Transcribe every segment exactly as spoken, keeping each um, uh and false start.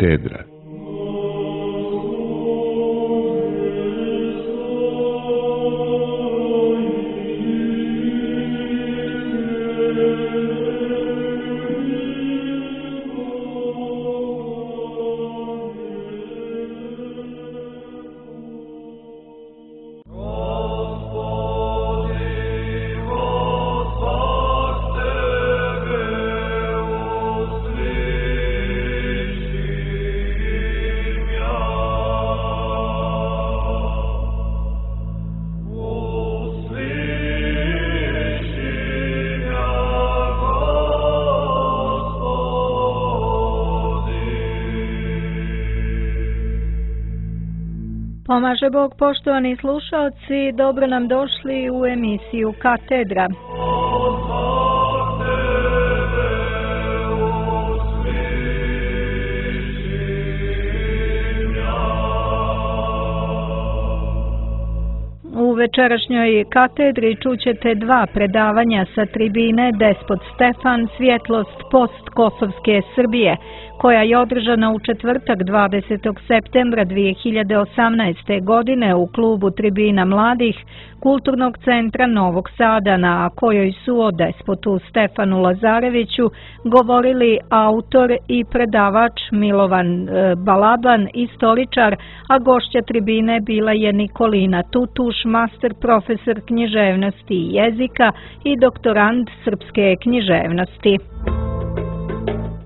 Katedra. Pomaže Bog, poštovani slušalci, dobro nam došli u emisiju Katedra. U večerašnjoj katedri čućete dva predavanja sa tribine Despot Stefan, svjetlost postkosovske Srbije, koja je održana u četvrtak dvadesetog septembra dvije hiljade osamnaeste. godine u klubu Tribina mladih Kulturnog centra Novog Sada, na kojoj su o despotu Stefanu Lazareviću govorili autor i predavač Milovan Balaban, istoričar, a gošća tribine bila je Nikolina Tutuš, master profesor književnosti i jezika i doktorant srpske književnosti.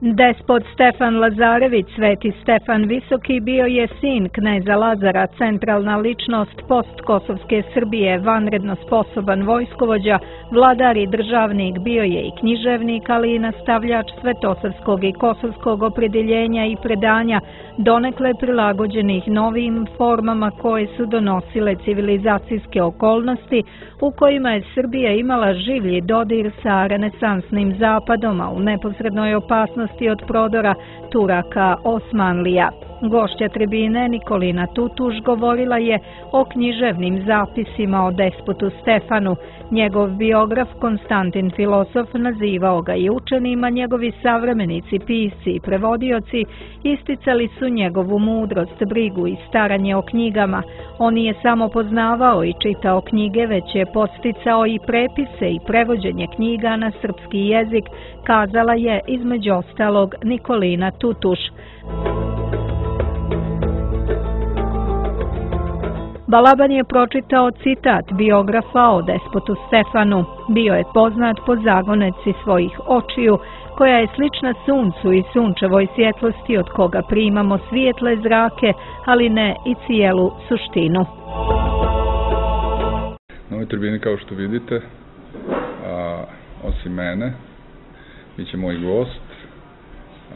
Despot Stefan Lazarević, Sveti Stefan Visoki, bio je sin kneza Lazara, centralna ličnost postkosovske Srbije, vanredno sposoban vojskovođa, vladar i državnik, bio je i književnik, ali i nastavljač svetosavskog i kosovskog opredjeljenja i predanja, donekle prilagođenih novim formama koje su donosile civilizacijske okolnosti u kojima je Srbija imala življi dodir sa renesansnim zapadom, a u neposrednoj opasnosti od prodora Turaka Osmanlija. Gošća tribine Nikolina Tutuš govorila je o književnim zapisima o despotu Stefanu. Njegov biograf Konstantin Filosof nazivao ga i učenim, a njegovi savremenici, pisci i prevodioci isticali su njegovu mudrost, brigu i staranje o knjigama. On nije samo poznavao i čitao knjige, već je podsticao i prepise i prevođenje knjiga na srpski jezik, kazala je između ostalog Nikolina Tutuš. Balaban je pročitao citat biografa o despotu Stefanu. Bio je poznat po zagoneci svojih očiju, koja je slična suncu i sunčevoj svjetlosti od koga primamo svijetle zrake, ali ne i cijelu suštinu. Na ovoj tribini, kao što vidite, a, osim mene, bit će moj gost,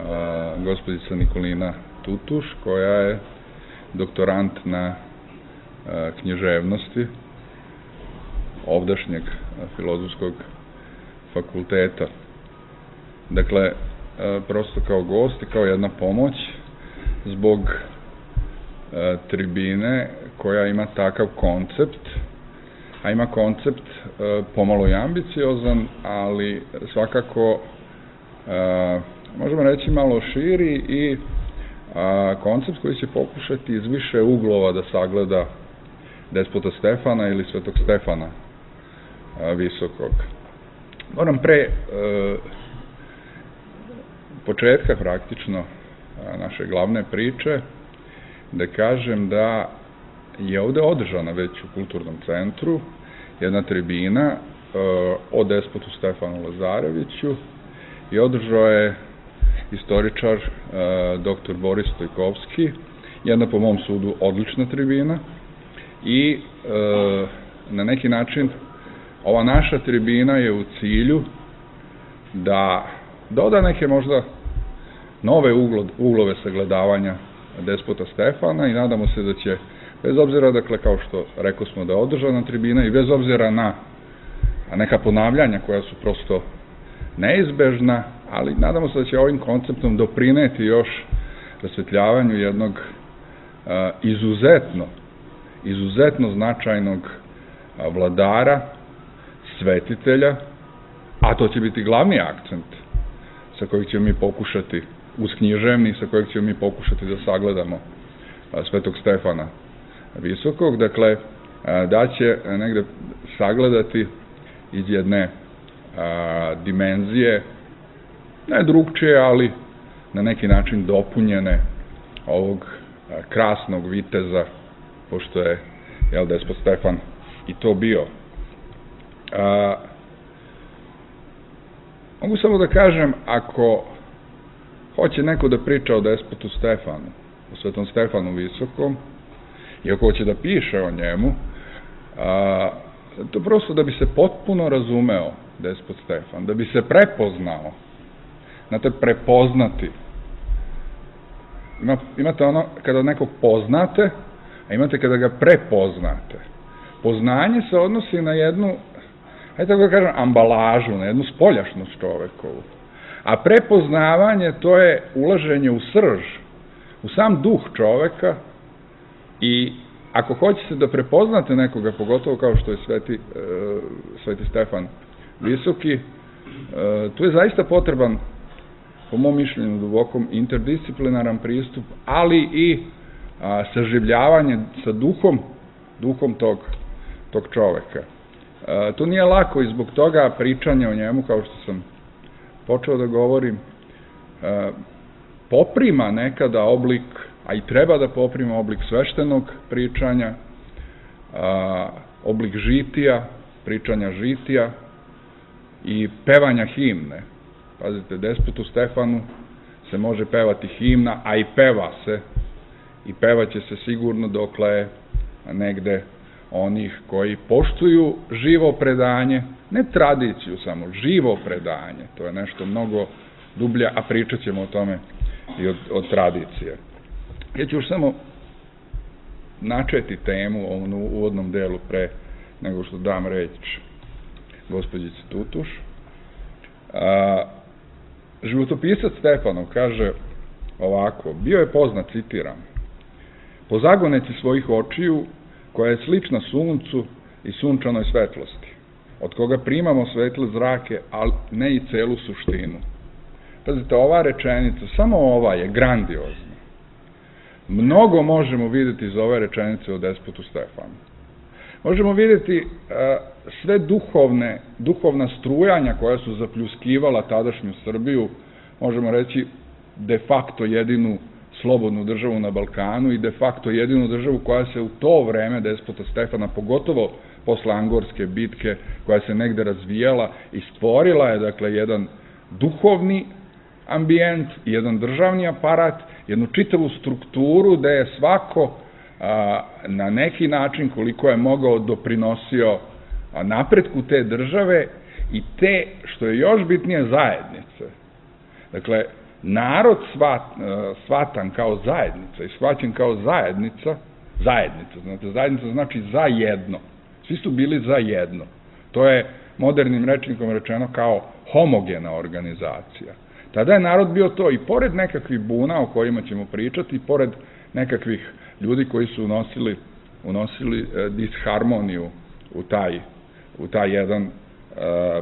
a, gospođica Nikolina Tutuš, koja je doktorant na književnosti ovdašnjeg Filozofskog fakulteta. Dakle, prosto kao gost i kao jedna pomoć zbog tribine koja ima takav koncept, a ima koncept pomalo i ambiciozan, ali svakako možemo reći malo širi i koncept koji će pokušati iz više uglova da sagleda despota Stefana ili Svetog Stefana Visokog. Moram pre e, početka praktično naše glavne priče da kažem da je ovde održana već u Kulturnom centru jedna tribina e, o despotu Stefanu Lazareviću i održao je istoričar e, doktor Boris Stojkovski, jedna po mom sudu odlična tribina. I e, na neki način ova naša tribina je u cilju da doda neke možda nove uglo, uglove sagledavanja despota Stefana i nadamo se da će, bez obzira, dakle, kao što rekao smo da je održana tribina i bez obzira na neka ponavljanja koja su prosto neizbežna, ali nadamo se da će ovim konceptom doprineti još rasvetljavanju jednog uh, izuzetno izuzetno značajnog vladara, svetitelja, a to će biti glavni akcent sa kojeg ćemo mi pokušati uz književni sa kojeg ćemo mi pokušati da sagledamo Svetog Stefana Visokog, dakle, da će negde sagledati iz jedne dimenzije, ne drugčije, ali na neki način dopunjene ovog krasnog viteza, pošto je, jel, despot Stefan i to bio. A, mogu samo da kažem, ako hoće neko da priča o despotu Stefanu, o Svetom Stefanu Visokom, i ako hoće da piše o njemu, a, to prosto da bi se potpuno razumeo despot Stefan, da bi se prepoznao, znate, prepoznati. Ima, imate ono kada nekog poznate, a imate kada ga prepoznate. Poznanje se odnosi na jednu, hajde tako da kažem, ambalažu, na jednu spoljašnost čovekovu. A prepoznavanje, to je ulaženje u srž, u sam duh čoveka, i ako hoćete da prepoznate nekoga, pogotovo kao što je Sveti, e, Sveti Stefan Visoki, e, tu je zaista potreban, po mom mišljenju dubokom, interdisciplinaran pristup, ali i a, saživljavanje sa duhom, duhom tog, tog čoveka. A, to nije lako i zbog toga pričanje o njemu, kao što sam počeo da govorim, a, poprima nekada oblik, a i treba da poprima oblik sveštenog pričanja, a, oblik žitija, pričanja žitija i pevanja himne. Pazite, despotu Stefanu se može pevati himna, a i peva se, i pevaće se sigurno dokle je negde onih koji poštuju živo predanje, ne tradiciju samo, živo predanje, to je nešto mnogo dublje, a pričat ćemo o tome i od, od tradicije. Ja ću još samo načeti temu u ovom uvodnom delu pre nego što dam reč gospođici Tutuš. A, životopisac Stefanov kaže ovako: bio je poznat, citiram, po zagoneci svojih očiju, koja je slična suncu i sunčanoj svetlosti, od koga primamo svetle zrake, ali ne i celu suštinu. Pazite, ova rečenica, samo ova je grandiozna. Mnogo možemo vidjeti iz ove rečenice o despotu Stefanu. Možemo vidjeti a, sve duhovne, duhovna strujanja koja su zapljuskivala tadašnju Srbiju, možemo reći de facto jedinu slobodnu državu na Balkanu i de facto jedinu državu koja se u to vreme despota Stefana, pogotovo posle Angorske bitke, koja se negde razvijala i stvorila je, dakle, jedan duhovni ambijent, jedan državni aparat, jednu čitavu strukturu gde je svako a, na neki način, koliko je mogao, doprinosio a, napretku te države i te, što je još bitnije, zajednice. Dakle, narod svat, svatan kao zajednica i shvaćen kao zajednica, zajednica, znate, zajednica znači za jedno. Svi su bili za jedno. To je modernim rečnikom rečeno kao homogena organizacija. Tada je narod bio to, i pored nekakvih buna o kojima ćemo pričati, i pored nekakvih ljudi koji su unosili, unosili e, disharmoniju u taj, u taj jedan e,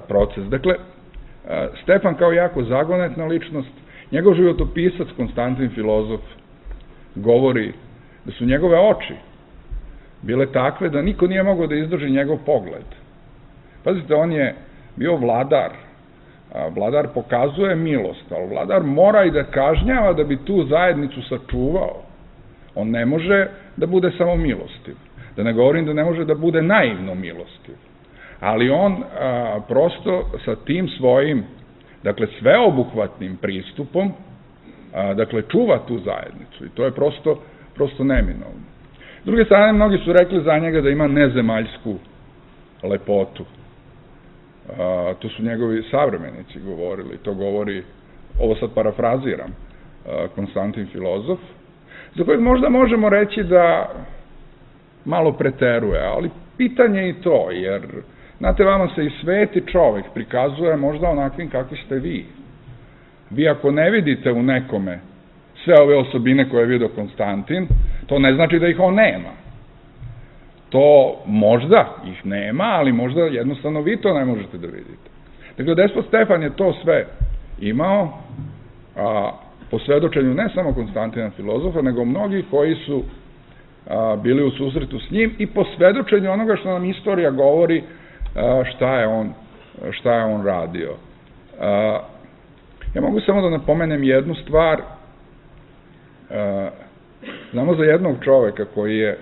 proces. Dakle, e, Stefan kao jako zagonetna ličnost, njegov životopisac Konstantin Filozof govori da su njegove oči bile takve da niko nije mogao da izdrži njegov pogled. Pazite, on je bio vladar. Vladar pokazuje milost, ali vladar mora i da kažnjava da bi tu zajednicu sačuvao. On ne može da bude samo milostiv. Da ne govorim da ne može da bude naivno milostiv. Ali on a, prosto sa tim svojim, dakle, sveobuhvatnim pristupom, a, dakle, čuva tu zajednicu i to je prosto, prosto neminovno. S druge strane, mnogi su rekli za njega da ima nezemaljsku lepotu. A, to su njegovi savremenici govorili, to govori, ovo sad parafraziram, a, Konstantin Filozof, za kojeg možda možemo reći da malo preteruje, ali pitanje i to, jer, znate, vama se i sveti čovek prikazuje možda onakvim kakvi ste vi. Vi ako ne vidite u nekome sve ove osobine koje je vidio Konstantin, to ne znači da ih on nema. To možda ih nema, ali možda jednostavno vi to ne možete da vidite. Dakle, despot Stefan je to sve imao, a, po svedočenju ne samo Konstantina filozofa, nego mnogih koji su bili u susretu s njim i po svedočenju onoga što nam istorija govori šta je on, šta je on radio. Ja mogu samo da napomenem jednu stvar. Znamo za jednog čoveka koji je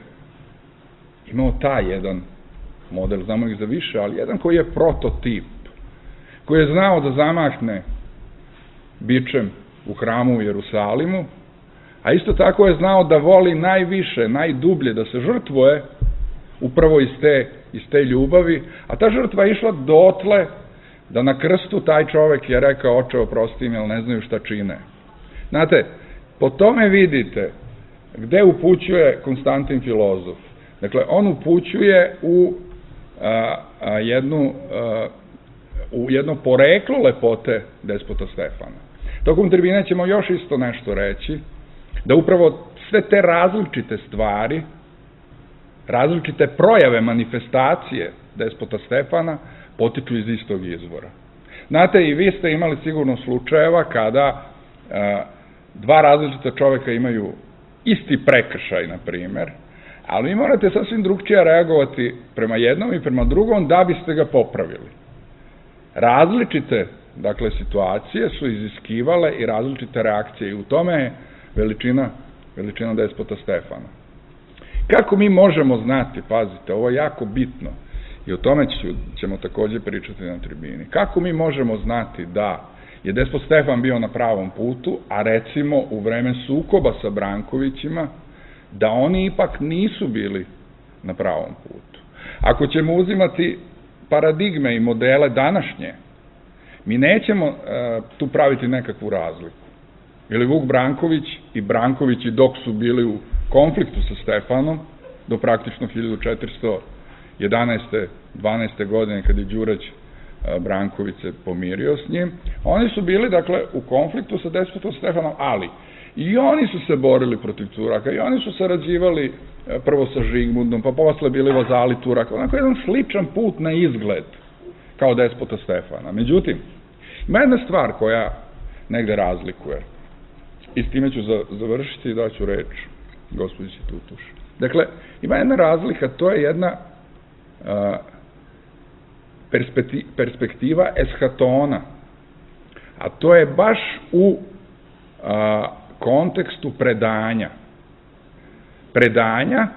imao taj jedan model, znamo ih za više, ali jedan koji je prototip, koji je znao da zamahne bičem u hramu u Jerusalimu, a isto tako je znao da voli najviše, najdublje, da se žrtvuje upravo iz te, iz te ljubavi, a ta žrtva je išla dotle da na krstu taj čovek je rekao: oče, oprosti im, jer ne znaju šta čine. Znate, po tome vidite gde upućuje Konstantin filozof. Dakle, on upućuje u, a, a, jednu, a, u jedno poreklo lepote despota Stefana. Tokom tribine ćemo još isto nešto reći, da upravo sve te različite stvari, različite projave, manifestacije despota Stefana potiču iz istog izvora. Znate, i vi ste imali sigurno slučajeva kada a, dva različita čoveka imaju isti prekršaj, na primer, ali vi morate sasvim drugčije reagovati prema jednom i prema drugom da biste ga popravili. Različite, dakle, situacije su iziskivale i različite reakcije i u tome je veličina, veličina despota Stefana. Kako mi možemo znati, pazite, ovo je jako bitno i o tome ću, ćemo takođe pričati na tribini, kako mi možemo znati da je despot Stefan bio na pravom putu, a recimo u vreme sukoba sa Brankovićima, da oni ipak nisu bili na pravom putu. Ako ćemo uzimati paradigme i modele današnje, mi nećemo uh, tu praviti nekakvu razliku. Ili Vuk Branković i Brankovići dok su bili u konfliktu sa Stefanom, do praktično hiljadu četiristo jedanaeste dvanaeste godine, kad je Đurać Branković se pomirio s njim, oni su bili, dakle, u konfliktu sa despotom Stefanom, ali i oni su se borili protiv Turaka, i oni su sarađivali prvo sa Žigmundom, pa posle bili vazali Turaka, onako jedan sličan put na izgled kao despota Stefana. Međutim, ima jedna stvar koja negde razlikuje, i s time ću završiti i daću reč gospođici Tutuš. Dakle, ima jedna razlika, to je jedna a, perspektiva eshatona, a to je baš u a, kontekstu predanja. Predanja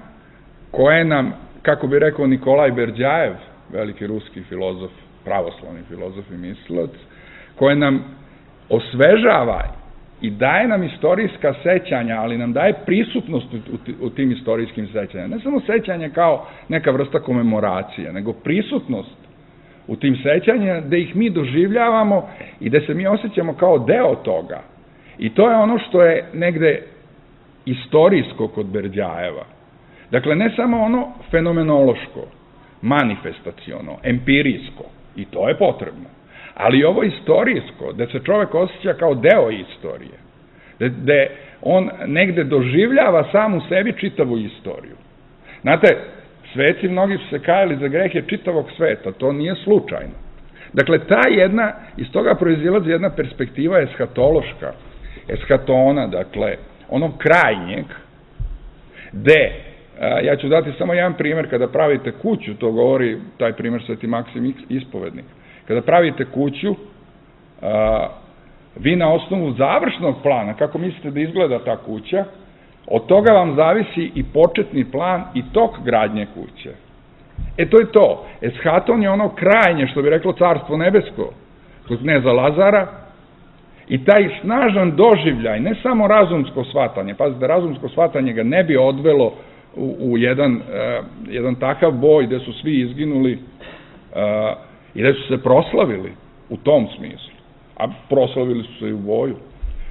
koje nam, kako bi rekao Nikolaj Berdjajev, veliki ruski filozof, pravoslavni filozof i mislilac, koje nam osvežava i daje nam istorijska sećanja, ali nam daje prisutnost u tim istorijskim sećanjima. Ne samo sećanje kao neka vrsta komemoracije, nego prisutnost u tim sećanjima, gde ih mi doživljavamo i gde se mi osjećamo kao deo toga. I to je ono što je negde istorijsko kod Berdjajeva. Dakle, ne samo ono fenomenološko, manifestaciono, empirijsko, i to je potrebno, ali ovo istorijsko, gde se čovek osjeća kao deo istorije, gde on negde doživljava sam u sebi čitavu istoriju. Znate, sveci mnogi su se kajali za grehe čitavog sveta, to nije slučajno. Dakle, ta jedna, iz toga proizilazi jedna perspektiva eshatološka, eshatona, dakle, onog krajnjeg, gde, ja ću dati samo jedan primer, kada pravite kuću, to govori taj primer Sveti Maksim Ispovednik, kada pravite kuću, vi na osnovu završnog plana, kako mislite da izgleda ta kuća, od toga vam zavisi i početni plan i tok gradnje kuće. E, to je to. Eshaton je ono krajnje, što bi reklo Carstvo nebesko, kod kneza Lazara, i taj snažan doživljaj, ne samo razumsko shvatanje, pazite, razumsko shvatanje ga ne bi odvelo u, u jedan, uh, jedan takav boj gde su svi izginuli uh, i gde su se proslavili u tom smislu, a proslavili su se i u boju.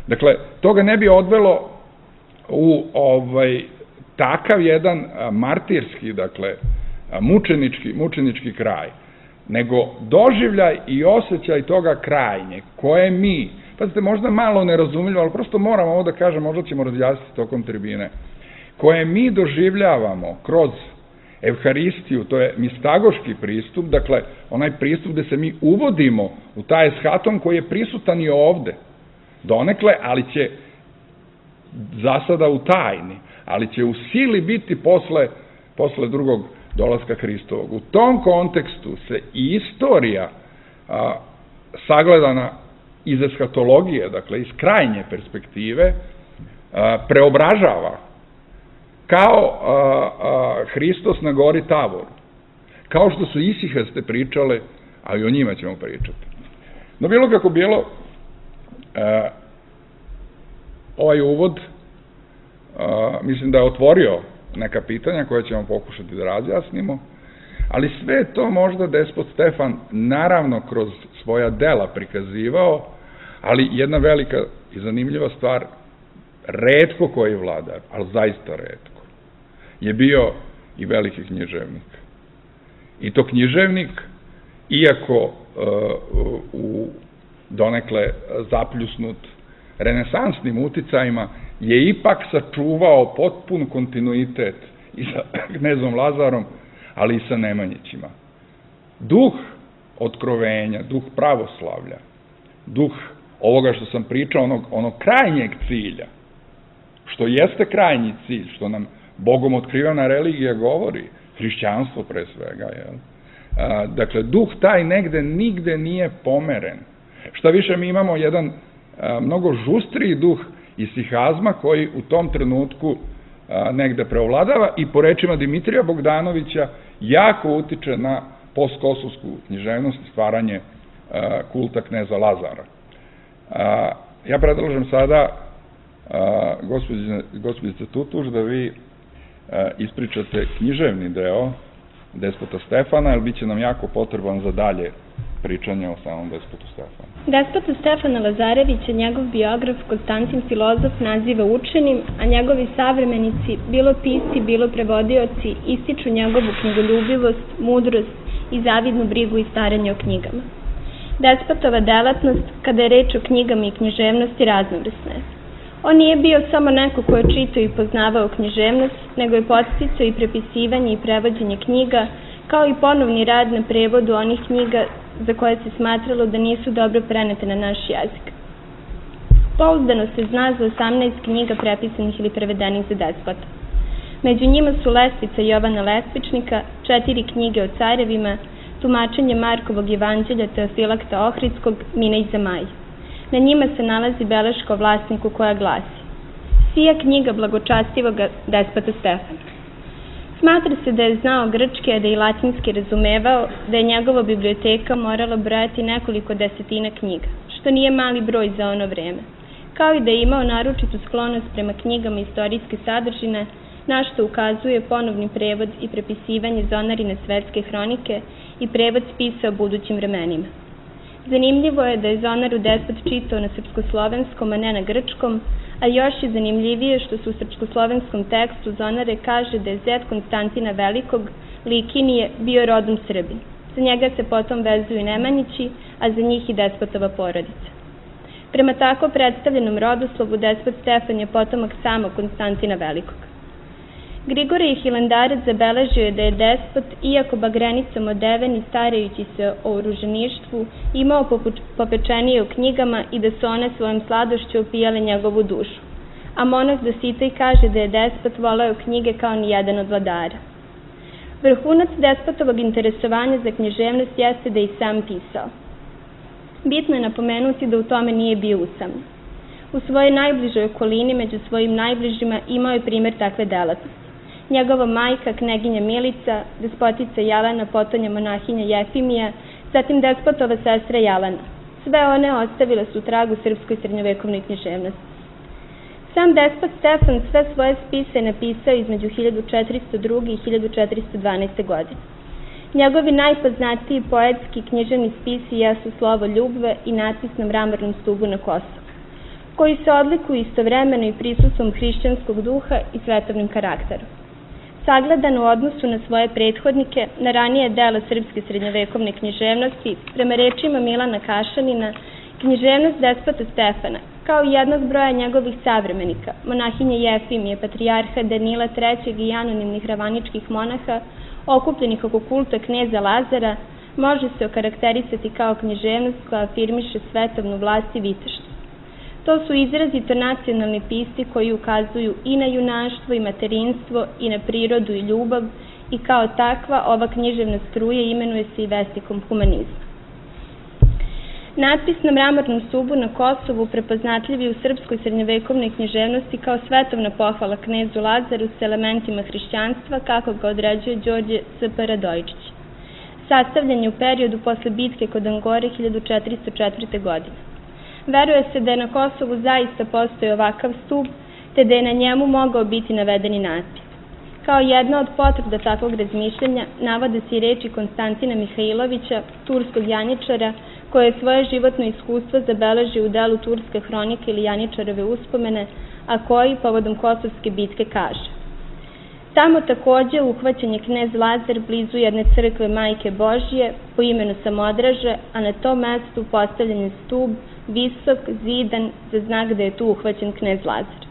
Dakle, to ga ne bi odvelo u ovaj, takav jedan a, martirski, dakle, a, mučenički, mučenički kraj, nego doživljaj i osjećaj toga krajnje, koje mi, pazite, možda malo nerazumljivo, ali prosto moramo ovo da kažem, možda ćemo razjasniti tokom tribine, koje mi doživljavamo kroz Evharistiju, to je mistagoški pristup, dakle, onaj pristup gde se mi uvodimo u taj eshaton koji je prisutan i ovde, donekle, ali će za sada u tajni, ali će u sili biti posle, posle drugog dolaska Hristovog. U tom kontekstu se i istorija a, sagledana iz eskatologije, dakle iz krajnje perspektive, a, preobražava kao a, a, Hristos na gori Tavoru, kao što su isihaste pričale, a i o njima ćemo pričati. No bilo kako bilo, a, ovaj uvod a, mislim da je otvorio neka pitanja koje ćemo pokušati da razjasnimo, ali sve to možda despot Stefan naravno kroz svoja dela prikazivao, ali jedna velika i zanimljiva stvar, retko koji vladar, ali zaista retko, je bio i veliki književnik. I to književnik, iako uh, u donekle zapljusnut renesansnim uticajima, je ipak sačuvao potpun kontinuitet i sa knezom Lazarom, ali i sa Nemanjićima. Duh otkrovenja, duh pravoslavlja, duh ovoga što sam pričao, onog, onog krajnjeg cilja, što jeste krajnji cilj, što nam Bogom otkrivena religija govori, hrišćanstvo pre svega, jel? A, dakle, duh taj negde nigde nije pomeren. Šta više, mi imamo jedan a, mnogo žustriji duh isihazma koji u tom trenutku a, negde preovladava i po rečima Dimitrija Bogdanovića jako utiče na postkosovsku književnost i stvaranje a, kulta kneza Lazara. A, ja predlažem sada gospođice Tutuš da vi a, ispričate književni deo despota Stefana, jer bit će nam jako potreban za dalje pričanje o samom despotu Stefanu. Despota Stefana Lazarevića njegov biograf Konstantin Filozof naziva učenim, a njegovi savremenici, bilo pisci, bilo prevodioci, ističu njegovu knjigoljubivost, mudrost i zavidnu brigu i staranje o knjigama. Despotova delatnost, kada je reč o knjigama i književnosti, raznovrsna je. On nije bio samo neko ko je čitao i poznavao književnost, nego je podsticao i prepisivanje i prevođenje knjiga, kao i ponovni rad na prevodu onih knjiga za koje se smatralo da nisu dobro prenete na naš jezik. Pouzdano se zna za osamnaest knjiga prepisanih ili prevedenih za despota. Među njima su Lestvica Jovana Lestvičnika, četiri knjige o carevima, tumačenje Markovog evanđelja Teofilakta Ohridskog, Mina i Zamaj. Na njima se nalazi beleška o vlasniku koja glasi: Sija knjiga blagočastivog despota Stefana. Smatra se da je znao grčki, a da i latinski razumevao, da je njegova biblioteka morala brojati nekoliko desetina knjiga, što nije mali broj za ono vreme, kao i da je imao naročitu sklonost prema knjigama istorijske sadržine, na što ukazuje ponovni prevod i prepisivanje Zonarine svetske hronike i prevod spisa o budućim vremenima. Zanimljivo je da je Zonaru despot čitao na srpskoslovenskom, a ne na grčkom, a još je zanimljivije što se u srpskoslovenskom tekstu Zonare kaže da je zet Konstantina Velikog, Likinije, bio rodom Srbin. Za njega se potom vezuju Nemanjići, a za njih i despotova porodica. Prema tako predstavljenom rodoslovu despot Stefan je potomak samog Konstantina Velikog. Grigorije Hilandarac zabeležio je da je despot, iako bagrenicom odeven i starajući se o oruženištvu, imao popečenije u knjigama i da su one svojom sladošću opijale njegovu dušu. A monah Dositej kaže da je despot voleo knjige kao ni jedan od vladara. Vrhunac despotovog interesovanja za književnost jeste da je i sam pisao. Bitno je napomenuti da u tome nije bio usamljen. U svojoj najbližoj okolini, među svojim najbližima, imao je primer takve delatnosti. Njegova majka, kneginja Milica, despotica Jelena, potonja monahinja Jefimija, zatim despotova sestra Jelena. Sve one ostavile su trag u srpskoj srednjovekovnoj književnosti. Sam despot Stefan sve svoje spise napisao između hiljadu četiristo druge i hiljadu četiristo dvanaeste. godine. Njegovi najpoznatiji poetski književni spisi jesu Slovo ljubve i Natpis na mramornom stubu na Kosovu, koji se odlikuju istovremeno i prisustvom hrišćanskog duha i svetovnim karakterom. Sagledan u odnosu na svoje prethodnike, na ranije delo srpske srednjovekovne književnosti, prema rečima Milana Kašanina, književnost despota Stefana, kao i jednog broja njegovih savremenika, monahinje Jefimije, patrijarha Danila trećeg i anonimnih ravaničkih monaha, okupljenih oko kulta kneza Lazara, može se okarakterisati kao književnost koja afirmiše svetovnu vlast i viteštvo. To su izrazito nacionalni pisci koji ukazuju i na junaštvo i materinstvo i na prirodu i ljubav i kao takva ova književna struja imenuje se i vestikom humanizma. Natpis na mramornom stubu na Kosovu prepoznatljiv je u srpskoj srednjovekovnoj književnosti kao svetovna pohvala knezu Lazaru s elementima hrišćanstva kako ga određuje Đorđe S P Radojičić. Sastavljen je u periodu posle bitke kod Angore hiljadu četiristo četvrte. godine. Veruje se da je na Kosovu zaista postoji ovakav stub, te da je na njemu mogao biti navedeni natpis. Kao jedna od potvrda takvog razmišljanja navode se i reči Konstantina Mihajlovića, turskog janjičara, koje je svoje životno iskustvo zabeležio u delu Turske hronike ili Janjičarove uspomene, a koji povodom Kosovske bitke kaže: Tamo takođe uhvaćen je knez Lazar blizu jedne crkve Majke Božije po imenu Samodraže, a na tom mestu postavljen je stub, visok, zidan, za znak da je tu uhvaćen knez Lazar.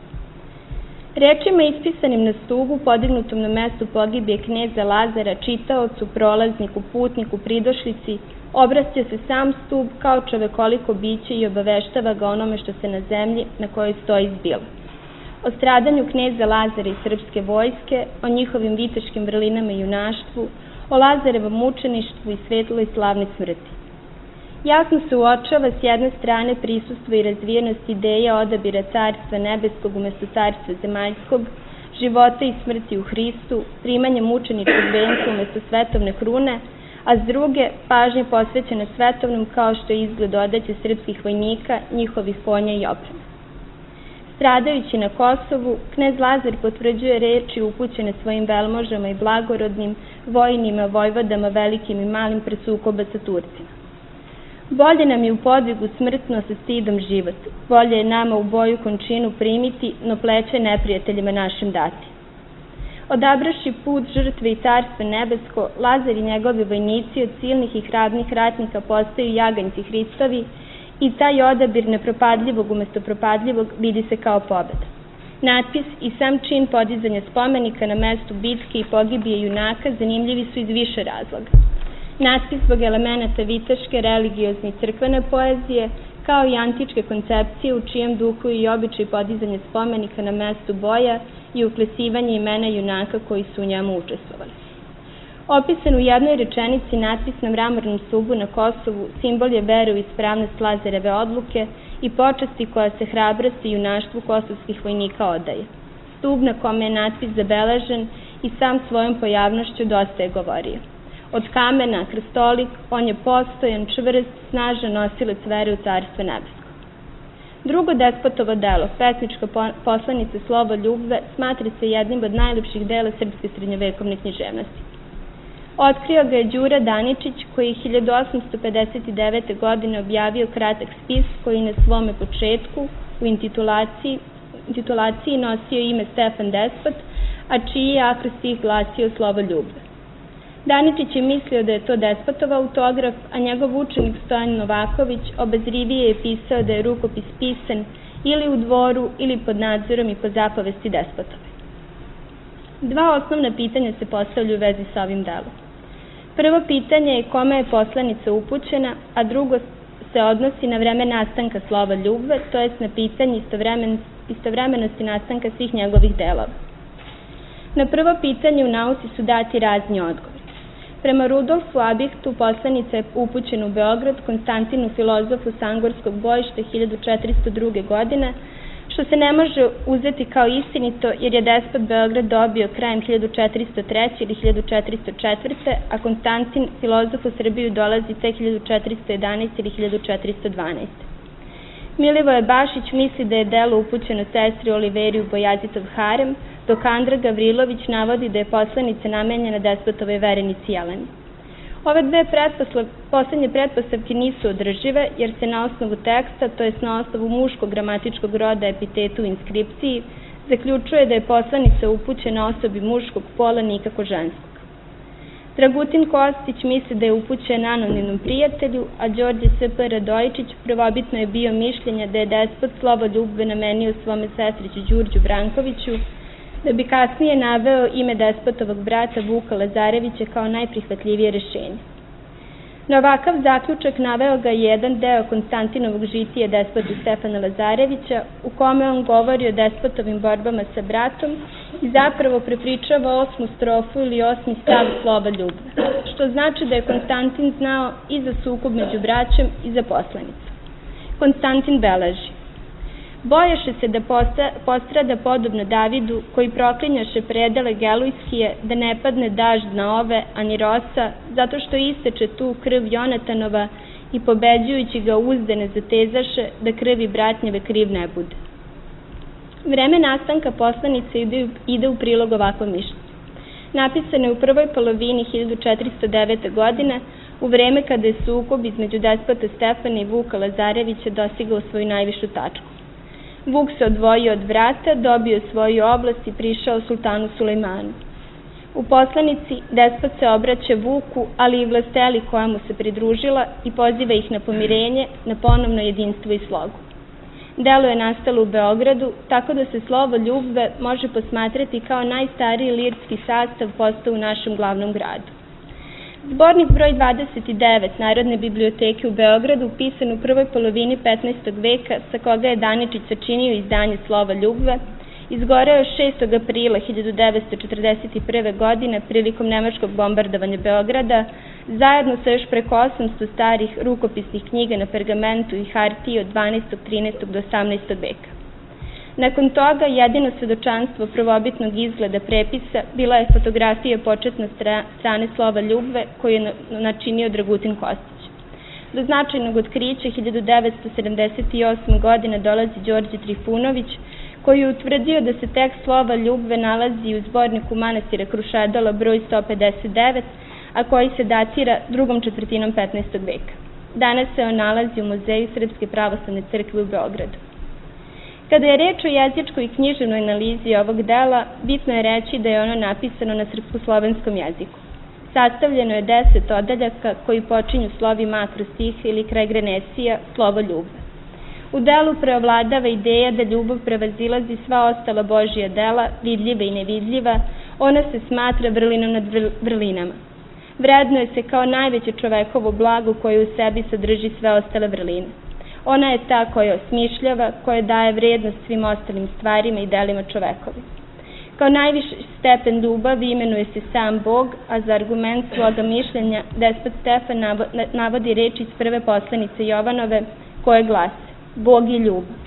Rečima ispisanim na stubu, podignutom na mestu pogibije kneza Lazara, čitaocu, prolazniku, putniku, pridošlici, obraća se sam stub kao čovekoliko biće i obaveštava ga onome što se na zemlji na kojoj stoji zbilo. O stradanju kneza Lazara i srpske vojske, o njihovim viteškim vrlinama i junaštvu, o Lazarevom mučeništvu i svetloj slavnoj smrti. Jasno se uočava s jedne strane prisustvo i razvijenost ideja odabira carstva nebeskog umesto carstva zemaljskog, života i smrti u Hristu, primanje mučeničkog venca umesto svetovne krune, a s druge pažnje posvećena svetovnom kao što je izgled odeće srpskih vojnika, njihovih konja i opreme. Stradajući na Kosovu, knez Lazar potvrđuje reči upućene svojim velmožama i blagorodnim, vojnima, vojvodama, velikim i malim pre sukoba sa Turcima. Bolje nam je u podvigu smrtno sa stidom život, bolje je nama u boju končinu primiti, no pleće neprijateljima našim dati. Odabraši put žrtve i carstva nebesko, Lazar i njegovi vojnici od silnih i hrabrih ratnika postaju jaganjci Hristovi i taj odabir nepropadljivog umesto propadljivog vidi se kao pobeda. Natpis i sam čin podizanja spomenika na mestu bitke i pogibije junaka zanimljivi su iz više razloga. Natpis zbog elemenata viteške, religiozne i crkvene poezije, kao i antičke koncepcije u čijem duhu i običaj podizanja spomenika na mestu boja i uklesivanje imena junaka koji su u njemu učestvovali. Opisan u jednoj rečenici natpis na mramornom stubu na Kosovu simbol je vere u ispravnost Lazareve odluke i počasti koja se hrabrosti i junaštvu kosovskih vojnika odaje. Stub na kome je natpis zabeležen i sam svojom pojavnošću dosta je govorio. Od kamena, krstolik, on je postojan, čvrst, snažan nosilac vere u carstvo nebesko. Drugo despotovo delo, pesnička poslanica Slovo ljubve, smatra se jednim od najlepših dela srpske srednjovekovne književnosti. Otkrio ga je Đura Daničić, koji je hiljadu osamsto pedeset devete. godine objavio kratak spis koji na svome početku u intitulaciji, intitulaciji nosio ime Stefan Despot, a čiji je akrostih glasio Slovo ljubve. Daničić je mislio da je to Despotov autograf, a njegov učenik Stojan Novaković obazrivije je pisao da je rukopis pisan ili u dvoru ili pod nadzorom i po zapovesti Despotove. Dva osnovna pitanja se postavljaju u vezi sa ovim delom. Prvo pitanje je kome je poslanica upućena, a drugo se odnosi na vreme nastanka Slova ljubve, to jest na pitanje istovremenosti nastanka svih njegovih delova. Na prvo pitanje u nauci su dati razni odgovori. Prema Rudolfu Abihtu poslanica je upućena u Beograd Konstantinu filozofu Sangorskog bojišta hiljadu četiristo druge. godine, što se ne može uzeti kao istinito jer je despot Beograd dobio krajem hiljadu četiristo treće. ili hiljadu četiristo četvrte. a Konstantin filozof u Srbiju dolazi tek hiljadu četiristo jedanaeste. ili hiljadu četiristo dvanaeste. Milivoje Bašić misli da je delo upućeno sestri Oliveri u Bojazitov harem, dok Andra Gavrilović navodi da je poslanica namenjena despotove verenici Jeleni. Ove dve poslednje pretpostavke nisu održive, jer se na osnovu teksta, to jest na osnovu muškog gramatičkog roda epitetu u inskripciji, zaključuje da je poslanica upućena osobi muškog pola, nikako ženskog. Dragutin Kostić misli da je upućen anonimnom prijatelju, a Đorđe S P Radojičić prvobitno je bio mišljenja da je despot Slovo ljubve namenio svome sestriću Đurđu Brankoviću, da bi kasnije naveo ime despotovog brata Vuka Lazarevića kao najprihvatljivije rešenje. Na ovakav zaključak naveo ga jedan deo Konstantinovog žitije despote Stefana Lazarevića, u kome on govori o despotovim borbama sa bratom i zapravo prepričava osmu strofu ili osmi stav slova Ljubve, što znači da je Konstantin znao i za sukob među braćom i za poslanicu. Konstantin beleži: boješe se da postrada podobno Davidu, koji proklinjaše predele Gelujskije, da ne padne dažd na ove, ani rosa, zato što isteče tu krv Jonatanova i pobeđujući ga uzde ne zatezaše, da krvi bratnjeve kriv ne bude. Vreme nastanka poslanice ide, ide u prilog ovakvom mišljenju. Napisano je u prvoj polovini hiljadu četiristo devete. godine, u vreme kada je sukob između despota Stefana i Vuka Lazarevića dostigao svoju najvišu tačku. Vuk se odvojio od vrata, dobio svoju oblast i prišao sultanu Sulejmanu. U poslanici despot se obraća Vuku, ali i vlasteli koja mu se pridružila i poziva ih na pomirenje, na ponovno jedinstvo i slogu. Delo je nastalo u Beogradu, tako da se slovo Ljubve može posmatrati kao najstariji lirski sastav postao u našem glavnom gradu. Zbornik broj dvadeset devet Narodne biblioteke u Beogradu, pisan u prvoj polovini petnaestog veka, sa koga je Daničić sačinio izdanje slova Ljubve, izgoreo šestog aprila hiljadu devetsto četrdeset prve. godine prilikom nemačkog bombardovanja Beograda, zajedno sa još preko osamsto starih rukopisnih knjiga na pergamentu i hartiji od dvanaestog, trinaestog do osamnaestog veka. Nakon toga, jedino svedočanstvo prvobitnog izgleda prepisa bila je fotografija početne strane slova Ljubve koju je načinio Dragutin Kostić. Do značajnog otkrića hiljadu devetsto sedamdeset osme. godine dolazi Đorđe Trifunović, koji je utvrdio da se tekst slova Ljubve nalazi u zborniku manastira Krušedala broj sto pedeset devet, a koji se datira drugom četvrtinom petnaestog veka. Danas se on nalazi u Muzeju Srpske pravoslavne crkve u Beogradu. Kada je reč o jezičkoj i književnoj analizi ovog dela, bitno je reći da je ono napisano na srpsko-slovenskom jeziku. Sastavljeno je deset odeljaka koji počinju slovima akrostih ili kraj grenesija, slovo Ljubve. U delu preovladava ideja da ljubav prevazilazi sva ostala Božja dela, vidljiva i nevidljiva, ona se smatra vrlinom nad vrlinama. Vrednuje se kao najveće čovekovo blago koje u sebi sadrži sve ostale vrline. Ona je ta koja osmišljava, koja daje vrednost svim ostalim stvarima i delima čovekovi. Kao najviši stepen ljubavi imenuje se sam Bog, a za argument svoga mišljenja despot Stefan navodi reči iz prve poslanice Jovanove koje glase: Bog je ljubav.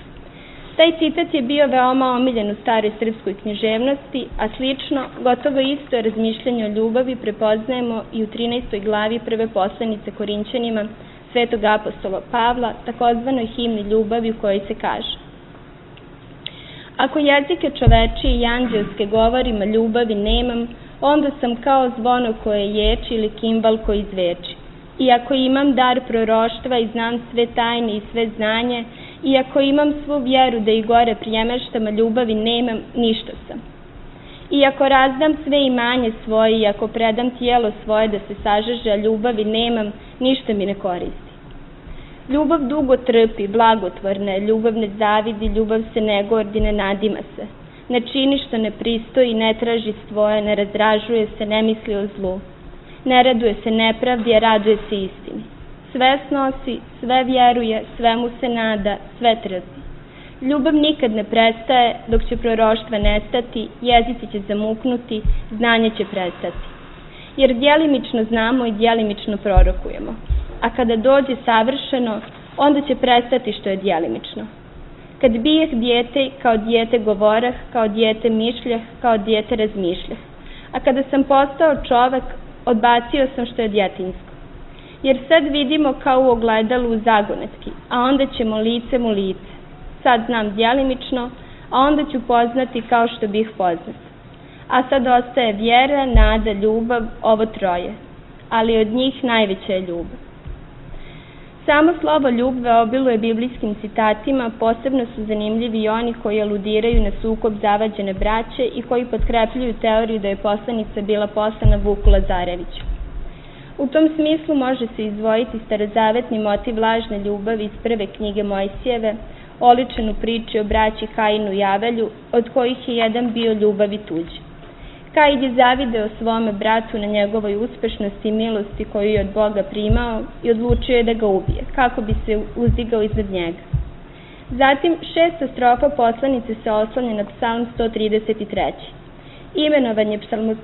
Taj citat je bio veoma omiljen u staroj srpskoj književnosti, a slično, gotovo isto razmišljanje o ljubavi prepoznajemo i u trinaestoj glavi prve poslanice Korinćanima Svetog apostola Pavla, takozvanoj himni ljubavi u kojoj se kaže: ako jezike čovečije i anđelske govorima ljubavi nemam, onda sam kao zvono koje ječi ili kimbal koji zveči. I ako imam dar proroštva i znam sve tajne i sve znanje, i ako imam svu vjeru da i gore prijemeštam, a ljubavi nemam, ništa sam. I ako razdam sve imanje svoje, i ako predam tijelo svoje da se sažeže, a ljubavi nemam, ništa mi ne koristi. Ljubav dugo trpi, blagotvorna je, ljubav ne zavidi, ljubav se ne gordi, ne nadima se. Ne čini što ne pristoji, ne traži svoje, ne razdražuje se, ne misli o zlu. Ne raduje se nepravdi, a raduje se istini. Sve snosi, sve vjeruje, svemu se nada, sve trpi. Ljubav nikad ne prestaje, dok će proroštva nestati, jezici će zamuknuti, znanje će prestati. Jer djelimično znamo i djelimično prorokujemo. A kada dođe savršeno, onda će prestati što je djelimično. Kad bijeh dijete, kao dijete govorah, kao dijete mišljah, kao dijete razmišljah. A kada sam postao čovek, odbacio sam što je djetinjsko. Jer sad vidimo kao u ogledalu u zagonetki, a onda ćemo licem u lice. Sad znam djelimično, a onda ću poznati kao što bih poznat. A sad ostaje vjera, nada, ljubav, ovo troje. Ali od njih najveća je ljubav. Samo slovo Ljubve obiluje biblijskim citatima, posebno su zanimljivi i oni koji aludiraju na sukob zavađene braće i koji potkrepljuju teoriju da je poslanica bila poslana Vuku Lazareviću. U tom smislu može se izdvojiti starozavetni motiv lažne ljubavi iz prve knjige Mojsijeve, oličen u priči o braći Kainu i Avelju, od kojih je jedan bio ljubav i tuđ. Kaid je zavideo svome bratu na njegovoj uspešnosti i milosti koju je od Boga primao i odlučio je da ga ubije, kako bi se uzdigao iznad njega. Zatim, šesta strofa poslanice se oslanja na Psalm sto trideset tri. Imenovan je psalmo,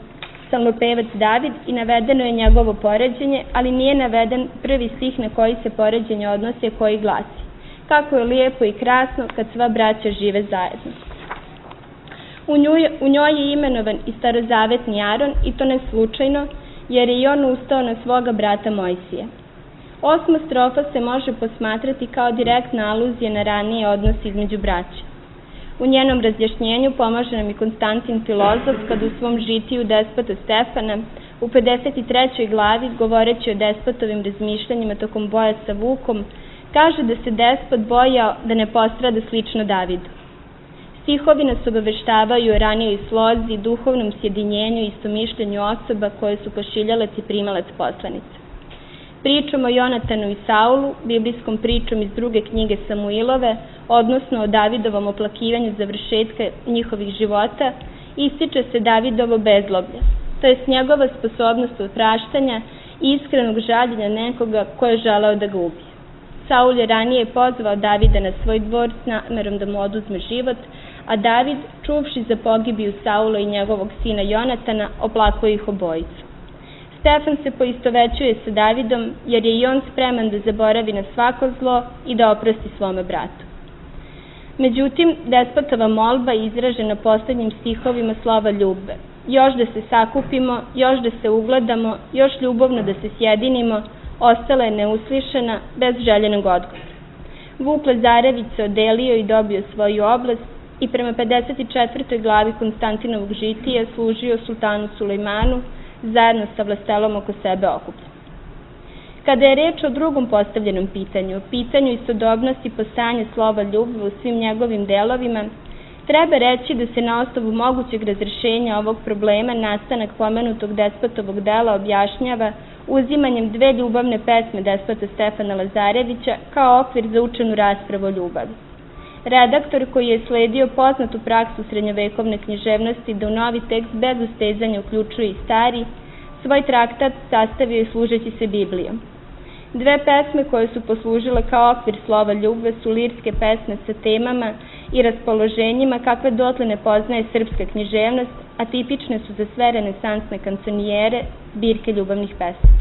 psalmopevac David i navedeno je njegovo poređenje, ali nije naveden prvi stih na koji se poređenje odnosi, koji glasi: kako je lijepo i krasno kad sva braća žive zajedno. U njoj, u njoj je imenovan i starozavetni Aron, i to ne slučajno, jer je i on ustao na svoga brata Mojsija. Osma strofa se može posmatrati kao direktna aluzija na ranije odnose između braća. U njenom razjašnjenju pomaže nam i Konstantin Filozof, kada u svom žitiju Despota Stefana u pedeset trećoj glavi, govoreći o despotovim razmišljanjima tokom boja sa Vukom, kaže da se despot bojao da ne postrada slično Davidu. Stihovi nas obaveštavaju o ranijoj slozi, duhovnom sjedinjenju i istomišljenju osoba koje su pošiljalac i primalac poslanica. Pričom o Jonatanu i Saulu, biblijskom pričom iz druge knjige Samuilove, odnosno o Davidovom oplakivanju završetka njihovih života, ističe se Davidovo bezloblje, to je njegova sposobnost opraštanja i iskrenog žaljenja nekoga ko je želeo da ga ubije. Saul je ranije pozvao Davida na svoj dvor s namerom da mu oduzme život, a David, čuvši za pogibiju Saula i njegovog sina Jonatana, oplakao ih obojicu. Stefan se poistovećuje sa Davidom, jer je i on spreman da zaboravi na svako zlo i da oprosti svome bratu. Međutim, despotova molba je izražena poslednjim stihovima slova ljubve. Još da se sakupimo, još da se ugledamo, još ljubovno da se sjedinimo, ostala je neuslišena, bez željenog odgovora. Vuk Lazarević se odelio i dobio svoju oblast i prema pedeset četvrtoj glavi Konstantinovog žitija služio sultanu Sulejmanu, zajedno sa vlastelom oko sebe okupljen. Kada je reč o drugom postavljenom pitanju, o pitanju istodobnosti postojanja slova ljubve u svim njegovim delovima, treba reći da se na osnovu mogućeg razrešenja ovog problema nastanak pomenutog despotovog dela objašnjava uzimanjem dve ljubavne pesme despota Stefana Lazarevića kao okvir za učenu raspravu o ljubavi. Redaktor, koji je sledio poznatu praksu srednjovekovne književnosti da u novi tekst bez ustezanja uključuje i stari, svoj traktat sastavio je služeći se Biblijom. Dve pesme koje su poslužile kao okvir slova ljubve su lirske pesme sa temama i raspoloženjima kakve dotle ne poznaje srpska književnost, a tipične su za sve renesansne kanconijere, zbirke ljubavnih pesama.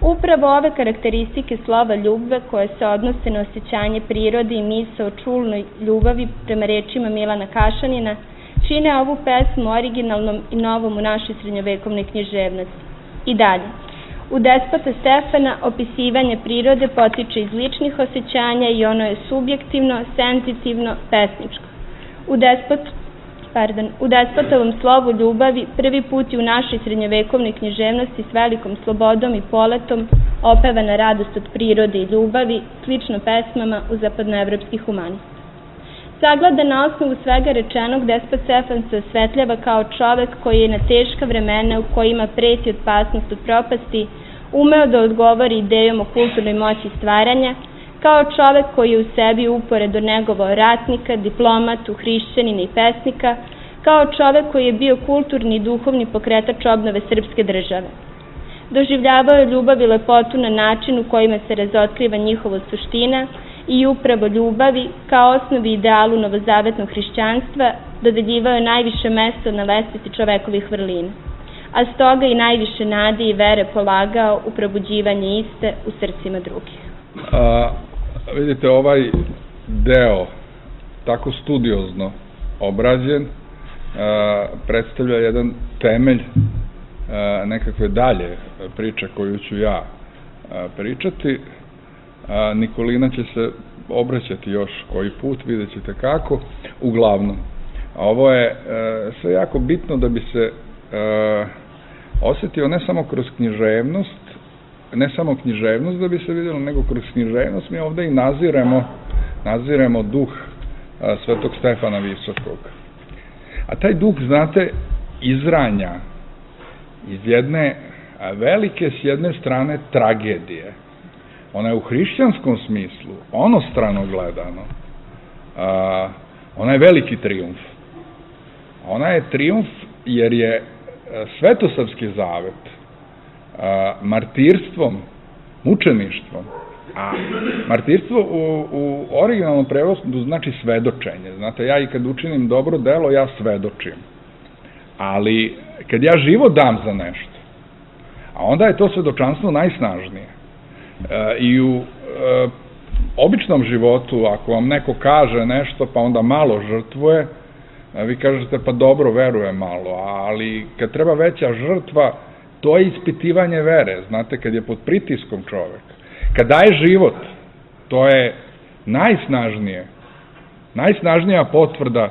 Upravo ove karakteristike slova ljubve, koje se odnose na osjećanje prirode i misao o čulnoj ljubavi prema rečima Milana Kašanina, čine ovu pesmu originalnom i novom u našoj srednjovekovnoj književnosti. I dalje, u Despota Stefana opisivanje prirode potiče iz ličnih osjećanja i ono je subjektivno, senzitivno, pesničko. U Despot Pardon, u despotovom slovu ljubavi prvi put je u našoj srednjovekovnoj književnosti s velikom slobodom i poletom opevana radost od prirode i ljubavi, slično pesmama u zapadnoevropskih humanista. Sagledan na osnovu svega rečenog, despot Stefan se osvetljava kao čovek koji je na teška vremena u kojima preti opasnost od propasti umeo da odgovori idejom o kulturnoj moći stvaranja, kao čovek koji je u sebi uporedo negovao ratnika, diplomatu, hrišćanina i pesnika, kao čovek koji je bio kulturni i duhovni pokretač obnove srpske države. Doživljavao je ljubav i lepotu na način u kojima se razotkriva njihova suština i upravo ljubavi, kao osnovi idealu novozavetnog hrišćanstva, dodeljivao je najviše mesto na lestvici čovekovih vrlina, a stoga i najviše nade i vere polagao u probuđivanje iste u srcima drugih. A, vidite, ovaj deo tako studiozno obrađen a, predstavlja jedan temelj a, nekakve dalje priče koju ću ja a, pričati. A, Nikolina će se obraćati još koji put, vidjet ćete kako. Uglavnom, ovo je a, sve jako bitno da bi se a, osetio ne samo kroz književnost, ne samo književnost da bi se vidjelo, nego kroz književnost mi ovde i naziremo, naziremo duh a, Svetog Stefana Visokog. A taj duh, znate, izranja iz jedne a, velike, s jedne strane, tragedije. Ona je u hrišćanskom smislu, onostrano gledano, a, ona je veliki trijumf. Ona je trijumf jer je Svetosavski zavet martirstvom, mučeništvom, a martirstvo u, u originalnom prevodu znači svedočenje. Znate, ja i kad učinim dobro delo, ja svedočim. Ali kad ja život dam za nešto, a onda je to svedočanstvo najsnažnije. E, I u e, običnom životu, ako vam neko kaže nešto, pa onda malo žrtvuje, vi kažete, pa dobro, verujem malo, ali kad treba veća žrtva, to je ispitivanje vere. Znate, kad je pod pritiskom čovek, kad daje život, to je najsnažnije, najsnažnija potvrda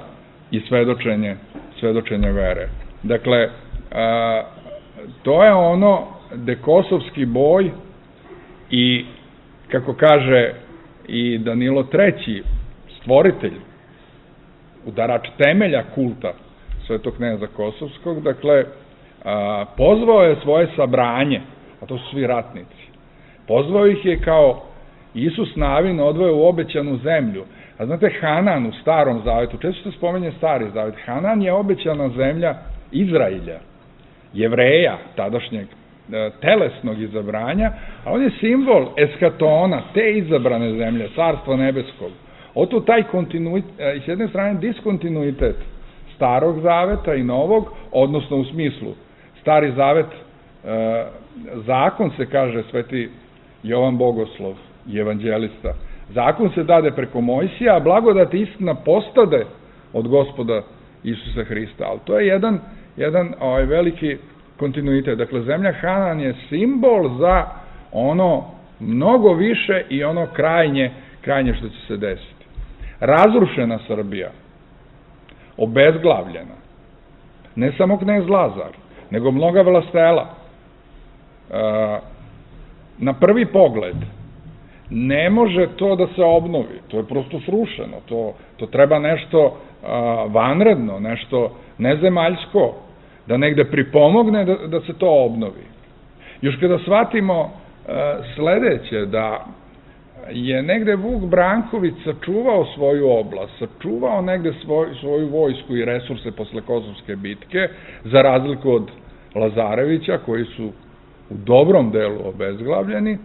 i svedočenje, svedočenje vere. Dakle, a, to je ono gde kosovski boj i, kako kaže i Danilo treći, stvoritelj, udarač temelja kulta Svetog kneza Kosovskog, dakle, a, pozvao je svoje sabranje, a to su svi ratnici, pozvao ih je kao Isus Navin odveo u obećanu zemlju. A znate, Hanan u Starom zavetu, često se spominje Stari zavet, Hanan je obećana zemlja Izrailja, Jevreja, tadašnjeg e, telesnog izabranja, a on je simbol eskatona, te izabrane zemlje, Carstva nebeskog. Oto taj kontinuitet, e, s jedne strane diskontinuitet Starog zaveta i Novog, odnosno u smislu Stari zavet, e, zakon se kaže Sveti Jovan Bogoslov i evanđelista, zakon se dade preko Mojsija, a blagodat i istina postade od Gospoda Isusa Hrista. Ali to je jedan, jedan ovaj, veliki kontinuitet. Dakle, zemlja Hanan je simbol za ono mnogo više i ono krajnje, krajnje što će se desiti. Razrušena Srbija, obezglavljena, ne samo knez Lazar, nego mnoga vlastela. E, na prvi pogled, ne može to da se obnovi, to je prosto srušeno, to, to treba nešto a, vanredno, nešto nezemaljsko, da negde pripomogne da, da se to obnovi. Još kada shvatimo a, sledeće, da je negde Vuk Branković sačuvao svoju oblast, sačuvao negde svoj, svoju vojsku i resurse posle Kosovske bitke, za razliku od Lazarevića, koji su u dobrom delu obezglavljeni,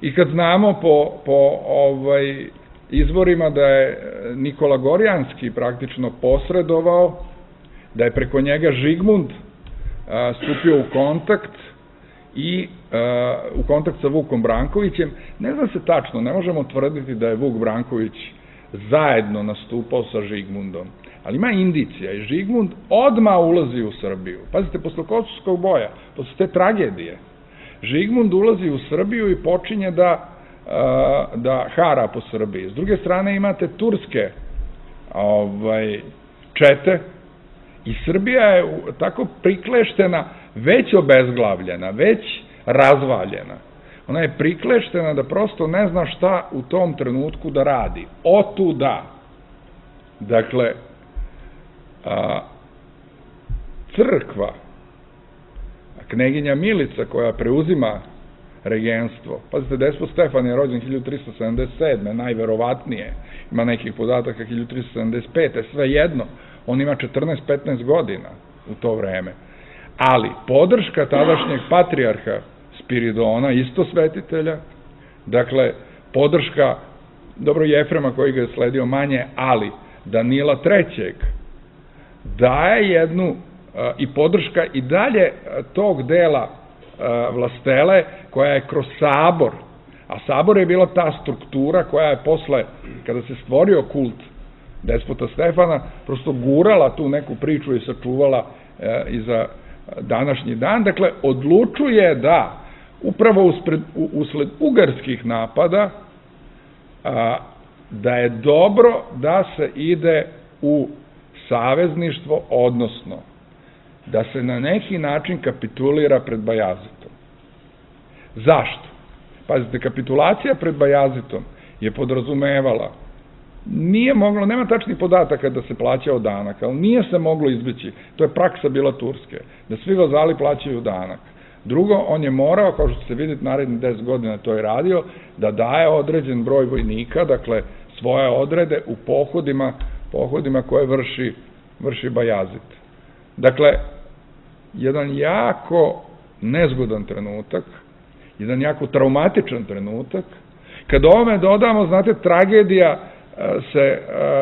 i kad znamo po, po ovaj, izvorima da je Nikola Gorjanski praktično posredovao, da je preko njega Žigmund a, stupio u kontakt i a, u kontakt sa Vukom Brankovićem, ne zna se tačno, ne možemo tvrditi da je Vuk Branković zajedno nastupao sa Žigmundom, ali ima indicija i Žigmund odmah ulazi u Srbiju. Pazite, posle Kosovskog boja, posle te tragedije, Žigmund ulazi u Srbiju i počinje da, da hara po Srbiji. S druge strane imate turske ovaj, čete i Srbija je tako prikleštena, već obezglavljena, već razvaljena. Ona je prikleštena da prosto ne zna šta u tom trenutku da radi. Otuda. Dakle, a, crkva, kneginja Milica koja preuzima regenstvo. Pazite, despot Stefan je rođen hiljadu tristo sedamdeset sedme. najverovatnije, ima nekih podataka hiljadu tristo sedamdeset pete. sve jedno, on ima četrnaest petnaest godina u to vreme. Ali podrška tadašnjeg patrijarha Spiridona, isto svetitelja, dakle, podrška, dobro, Jefrema koji ga je sledio manje, ali Danila trećeg, daje jednu i podrška i dalje tog dela vlastele koja je kroz sabor, a sabor je bila ta struktura koja je posle, kada se stvorio kult despota Stefana, prosto gurala tu neku priču i sačuvala i za današnji dan. Dakle, odlučuje da upravo uspred, usled ugarskih napada da je dobro da se ide u savezništvo, odnosno da se na neki način kapitulira pred Bajazitom. Zašto? Pazite, kapitulacija pred Bajazitom je podrazumevala, nije moglo, nema tačnih podataka da se plaćao danak, ali nije se moglo izbeći, to je praksa bila Turske, da svi vazali plaćaju danak. Drugo, on je morao, kao što se vidite, narednih deset godina to je radio, da daje određen broj vojnika, dakle, svoje odrede u pohodima, pohodima koje vrši, vrši Bajazit. Dakle, jedan jako nezgodan trenutak, jedan jako traumatičan trenutak. Kad ovome dodamo, znate, tragedija se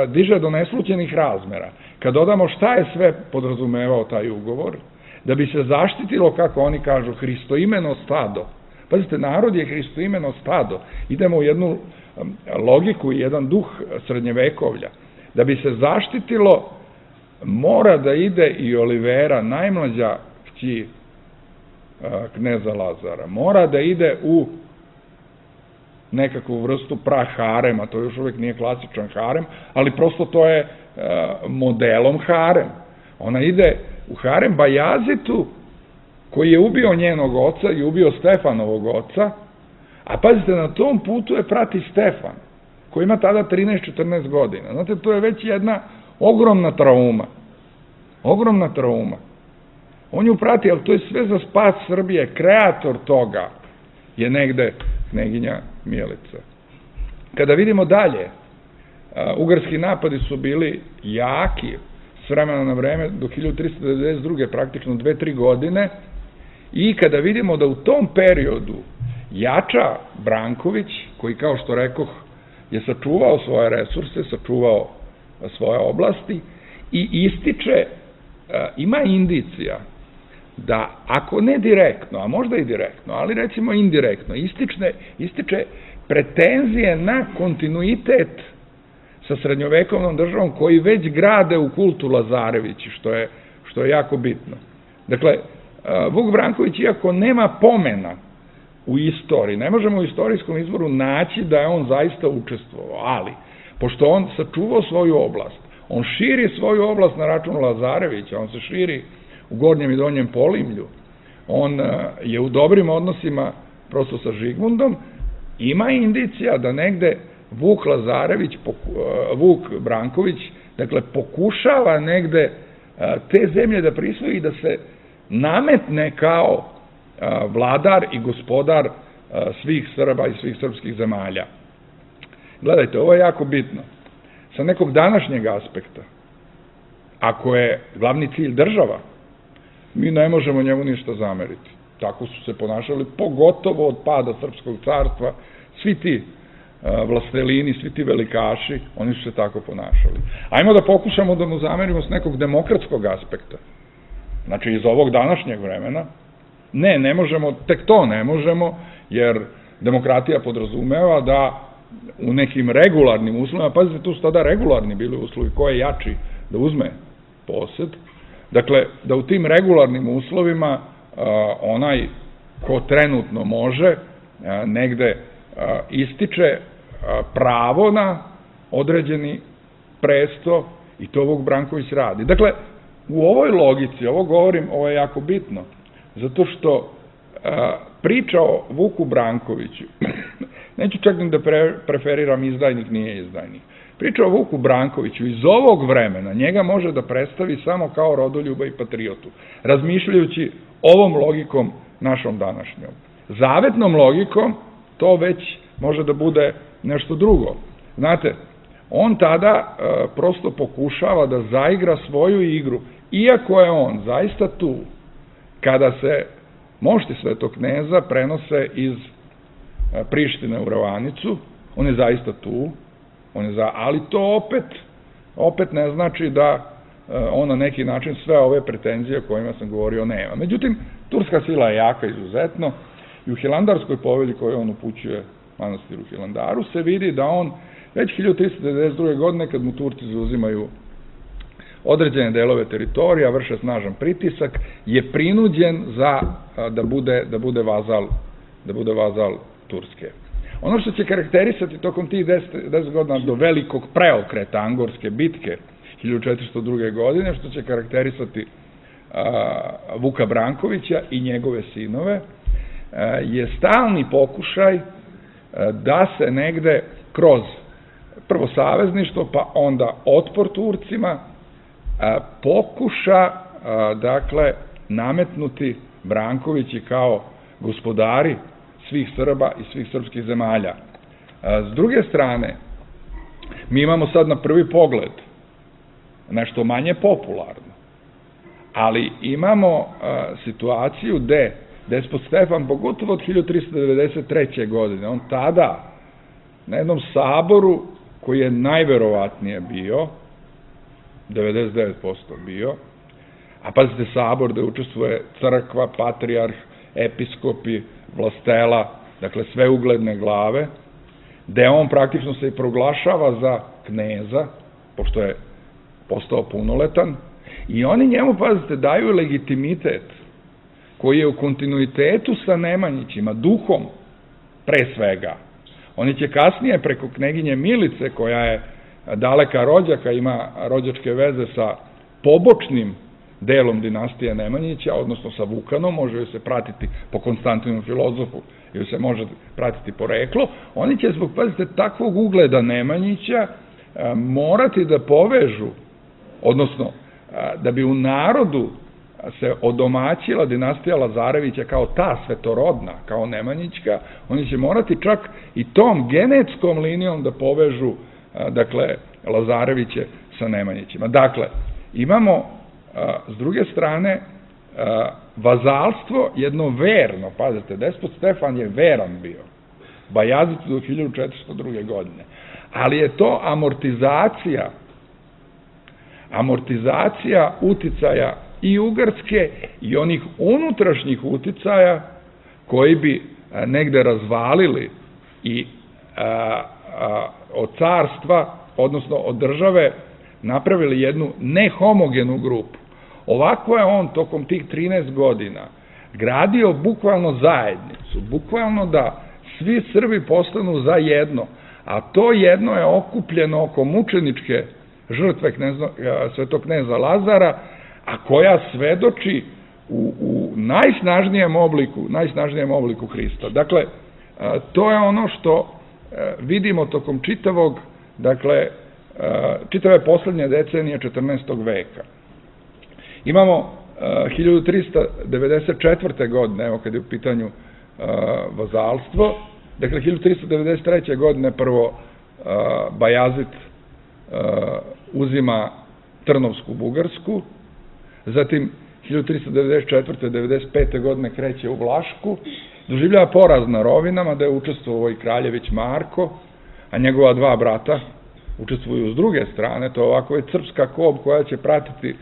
diže do neslućenih razmera. Kad dodamo šta je sve podrazumevao taj ugovor, da bi se zaštitilo, kako oni kažu, hristoimeno stado. Pazite, narod je hristoimeno stado. Idemo u jednu logiku i jedan duh srednjevekovlja. Da bi se zaštitilo, mora da ide i Olivera, najmlađa kći kneza Lazara. Mora da ide u nekakvu vrstu praharema, to još uvijek nije klasičan harem, ali prosto to je modelom harem. Ona ide u harem Bajazitu, koji je ubio njenog oca i ubio Stefanovog oca, a pazite, na tom putu je prati Stefan, koji ima tada trinaest četrnaest godina. Znate, to je već jedna ogromna trauma. Ogromna trauma. On ju prati, ali to je sve za spas Srbije. Kreator toga je negde kneginja Milica. Kada vidimo dalje, ugarski napadi su bili jaki s vremena na vreme do hiljadu trista devedeset druge praktično dve, tri godine, i kada vidimo da u tom periodu jača Branković, koji, kao što rekoh, je sačuvao svoje resurse, sačuvao svoje oblasti i ističe, ima indicija da, ako ne direktno, a možda i direktno, ali recimo indirektno, ističe, ističe pretenzije na kontinuitet sa srednjovekovnom državom koji već grade u kultu Lazarevići, što je, što je jako bitno. Dakle, Vuk Branković, iako nema pomena u istoriji, ne možemo u istorijskom izvoru naći da je on zaista učestvovao, ali, pošto on sačuvao svoju oblast, on širi svoju oblast na račun Lazarevića, on se širi u Gornjem i Donjem Polimlju, on je u dobrim odnosima prosto sa Žigmundom, ima indicija da negde Vuk Lazarević, Vuk Branković, dakle, pokušava negde te zemlje da prisvoji i da se nametne kao vladar i gospodar svih Srba i svih srpskih zemalja. Gledajte, ovo je jako bitno. Sa nekog današnjeg aspekta, ako je glavni cilj država, mi ne možemo njemu ništa zameriti. Tako su se ponašali, pogotovo od pada Srpskog carstva, svi ti vlastelini, svi ti velikaši, oni su se tako ponašali. Ajmo da pokušamo da mu zamerimo s nekog demokratskog aspekta. Znači, iz ovog današnjeg vremena, ne, ne možemo, tek to ne možemo, jer demokratija podrazumeva da u nekim regularnim uslovima, pazite, tu su tada regularni bili uslovi, ko je jači da uzme posed, dakle, da u tim regularnim uslovima onaj ko trenutno može negde ističe pravo na određeni presto i to Vuk Branković radi. Dakle, u ovoj logici, ovo govorim, ovo je jako bitno, zato što priča o Vuku Brankoviću, neću čak ni da preferiram izdajnik, nije izdajnik, priča o Vuku Brankoviću iz ovog vremena, njega može da predstavi samo kao rodoljuba i patriotu, razmišljajući ovom logikom našom današnjom. Zavetnom logikom to već može da bude nešto drugo. Znate, on tada prosto pokušava da zaigra svoju igru, iako je on zaista tu, kada se mošti Svetog kneza prenose iz Prištine u Ravanicu, on je zaista tu, on je za, ali to opet, opet ne znači da on na neki način sve ove pretenzije o kojima sam govorio nema. Međutim, turska sila je jaka izuzetno i u Hilandarskoj povelji koju on upućuje manastiru Hilandaru se vidi da on već hiljadu trista devedeset druge godine, kad mu Turci zauzimaju određene delove teritorija, vrše snažan pritisak, je prinuđen za da bude, da bude vazal, da bude vazal Turske. Ono što će karakterisati tokom tih deset godina do velikog preokreta Angorske bitke hiljadu četiristo druge godine, što će karakterisati Vuka Brankovića i njegove sinove, je stalni pokušaj da se negde kroz prvo savezništvo, pa onda otpor Turcima, pokuša, dakle, nametnuti Brankovići kao gospodari svih Srba i svih srpskih zemalja. S druge strane, mi imamo sad na prvi pogled nešto manje popularno, Ali imamo situaciju gde despot Stefan, pogotovo od hiljadu tristo devedeset treće. godine, on tada na jednom saboru koji je najverovatnije bio, devedeset devet posto bio, a pazite, sabor gde učestvuje crkva, patrijarh, episkopi, vlastela, dakle sve ugledne glave, gde on praktično se i proglašava za kneza, pošto je postao punoletan, i oni njemu, pazite, daju legitimitet koji je u kontinuitetu sa Nemanjićima, duhom pre svega. Oni će kasnije preko kneginje Milice, koja je daleka rođaka, ima rođačke veze sa pobočnim delom dinastije Nemanjića, odnosno sa Vukanom, može se pratiti po Konstantinu filozofu, ili se može pratiti poreklo, oni će zbog, pazite, takvog ugleda Nemanjića morati da povežu, odnosno da bi u narodu se odomaćila dinastija Lazarevića kao ta svetorodna, kao Nemanjićka, oni će morati čak i tom genetskom linijom da povežu, dakle, Lazareviće sa Nemanjićima. Dakle, imamo s druge strane vazalstvo jedno verno, pazite, despot Stefan je veran bio, Bajazid do hiljadu četiristo druge. godine, ali je to amortizacija amortizacija uticaja i Ugarske i onih unutrašnjih uticaja koji bi negde razvalili i od carstva, odnosno od države, napravili jednu nehomogenu grupu. Ovako je on tokom tih trinaest godina gradio bukvalno zajednicu, bukvalno da svi Srbi postanu za jedno, a to jedno je okupljeno oko mučeničke žrtve svetog kneza Lazara, a koja svedoči u, u najsnažnijem obliku, najsnažnijem obliku Hrista. Dakle, to je ono što vidimo tokom čitavog, dakle, čitave poslednje decenije četrnaestog. veka. Imamo hiljadu trista devedeset četvrte. godine, evo kad je u pitanju vazalstvo, dakle, hiljadu trista devedeset treće. godine prvo Bajazid uzima Trnovsku Bugarsku, zatim hiljadu trista devedeset četvrte. devedeset pete. godine kreće u Vlašku, doživljava poraz na Rovinama, da je učestvovao i kraljević Marko, a njegova dva brata učestvuju s druge strane. To je ovako je crpska kob koja će pratiti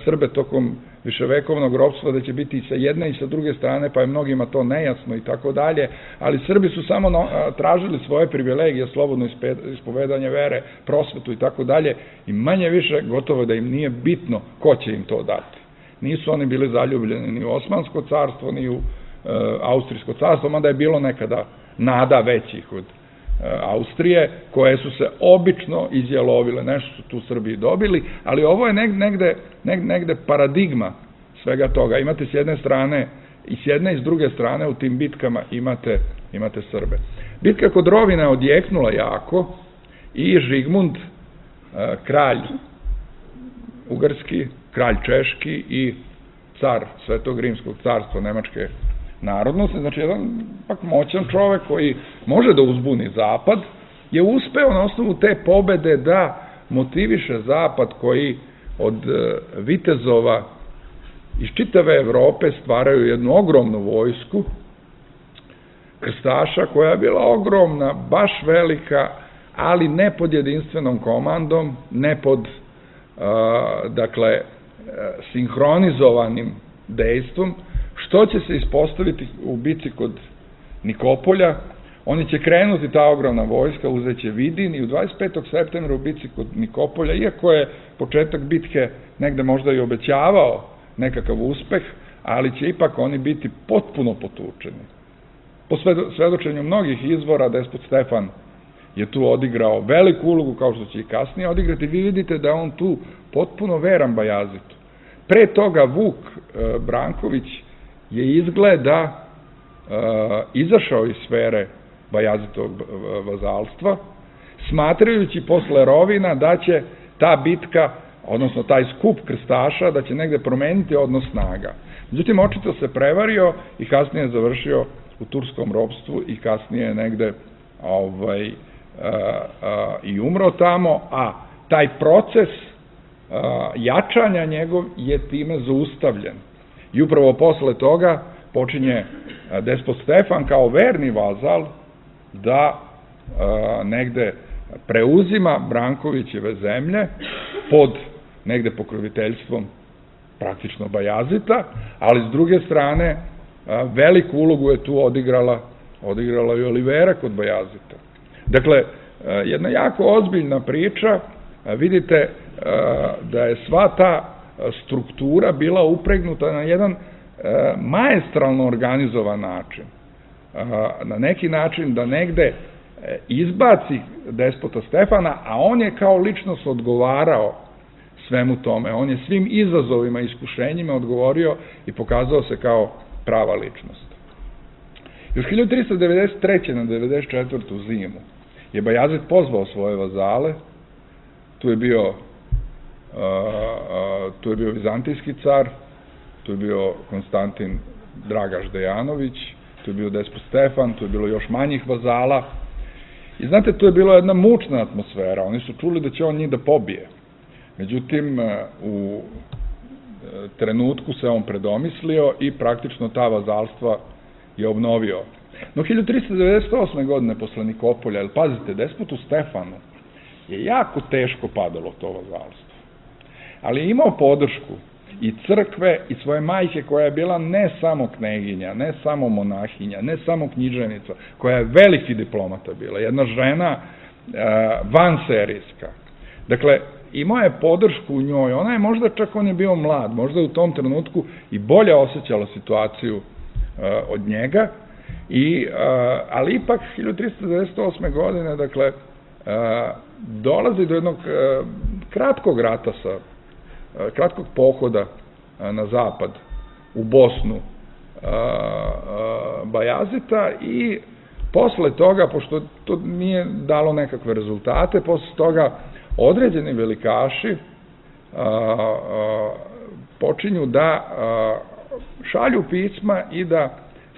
Srbe tokom viševekovnog ropstva, da će biti i sa jedne i sa druge strane, pa je mnogima to nejasno i tako dalje, ali Srbi su samo tražili svoje privilegije, slobodno ispovedanje vere, prosvetu i tako dalje, i manje više gotovo da im nije bitno ko će im to dati. Nisu oni bili zaljubljeni ni u Osmansko carstvo, ni u Austrijsko carstvo, mada je bilo nekada nada većih od Austrije, koje su se obično izjelovile, nešto su tu Srbiji dobili, ali ovo je negde, negde paradigma svega toga. Imate s jedne strane i s jedne i s druge strane u tim bitkama imate, imate Srbe. Bitka kod Rovina je odjeknula jako i Žigmund, kralj Ugarski, kralj Češki i car Svetog Rimskog carstva Nemačke narodnosti, znači jedan pak moćan čovek koji može da uzbuni Zapad, je uspeo na osnovu te pobede da motiviše Zapad, koji od vitezova iz čitave Evrope stvaraju jednu ogromnu vojsku krstaša, koja je bila ogromna, baš velika, ali ne pod jedinstvenom komandom, ne pod dakle sinhronizovanim dejstvom, što će se ispostaviti u bici kod Nikopolja. Oni će krenuti, ta ogromna vojska, uzeće Vidin, i u dvadeset petog septembra u bici kod Nikopolja, iako je početak bitke negde možda i obećavao nekakav uspeh, ali će ipak oni biti potpuno potučeni. Po svedočenju mnogih izvora, despot Stefan je tu odigrao veliku ulogu, kao što će i kasnije odigrati. Vi vidite da on tu potpuno veran Bajazitu. Pre toga Vuk Branković je izgleda izašao iz sfere Bajazitovog vazalstva, smatrajući posle Rovina da će ta bitka, odnosno taj skup krstaša, da će negde promeniti odnos snaga. Međutim, očito se prevario i kasnije je završio u turskom ropstvu i kasnije negde i umro tamo, a taj proces jačanja njegov je time zaustavljen. I upravo posle toga počinje despot Stefan kao verni vazal da negde preuzima Brankovićeve zemlje pod negde pokroviteljstvom praktično Bajazita, ali s druge strane veliku ulogu je tu odigrala odigrala i Olivera kod Bajazita. Dakle, jedna jako ozbiljna priča, vidite da je sva ta struktura bila upregnuta na jedan maestralno organizovan način. Na neki način da negde izbaci despota Stefana, a on je kao ličnost odgovarao svemu tome. On je svim izazovima i iskušenjima odgovorio i pokazao se kao prava ličnost. Još hiljadu tristo devedeset treće na devedeset četvrtu zimu je Bajazid pozvao svoje vazale, tu je bio tu je bio vizantijski car, tu je bio Konstantin Dragaš Dejanović, tu je bio despot Stefan, tu je bilo još manjih vazala. I znate, tu je bila jedna mučna atmosfera, oni su čuli da će on njih da pobije. Međutim, u trenutku se on predomislio i praktično ta vazalstva je obnovio. No, hiljadu tristo devedeset osme. godine posle Nikopolja, jer pazite, despotu Stefanu je jako teško padalo to vazalstvo. Ali je imao podršku i crkve i svoje majke koja je bila ne samo kneginja, ne samo monahinja, ne samo književnica, koja je veliki diplomata bila, jedna žena vanserijska. Dakle, imao je podršku u njoj, ona je možda čak on je bio mlad, možda u tom trenutku i bolje osjećala situaciju od njega, ali ipak hiljadu tristo devedeset osme. godine, dakle, dolazi do jednog kratkog rata sa kratkog pohoda na zapad, u Bosnu Bajazita i posle toga, pošto to nije dalo nekakve rezultate, posle toga određeni velikaši počinju da šalju pisma i da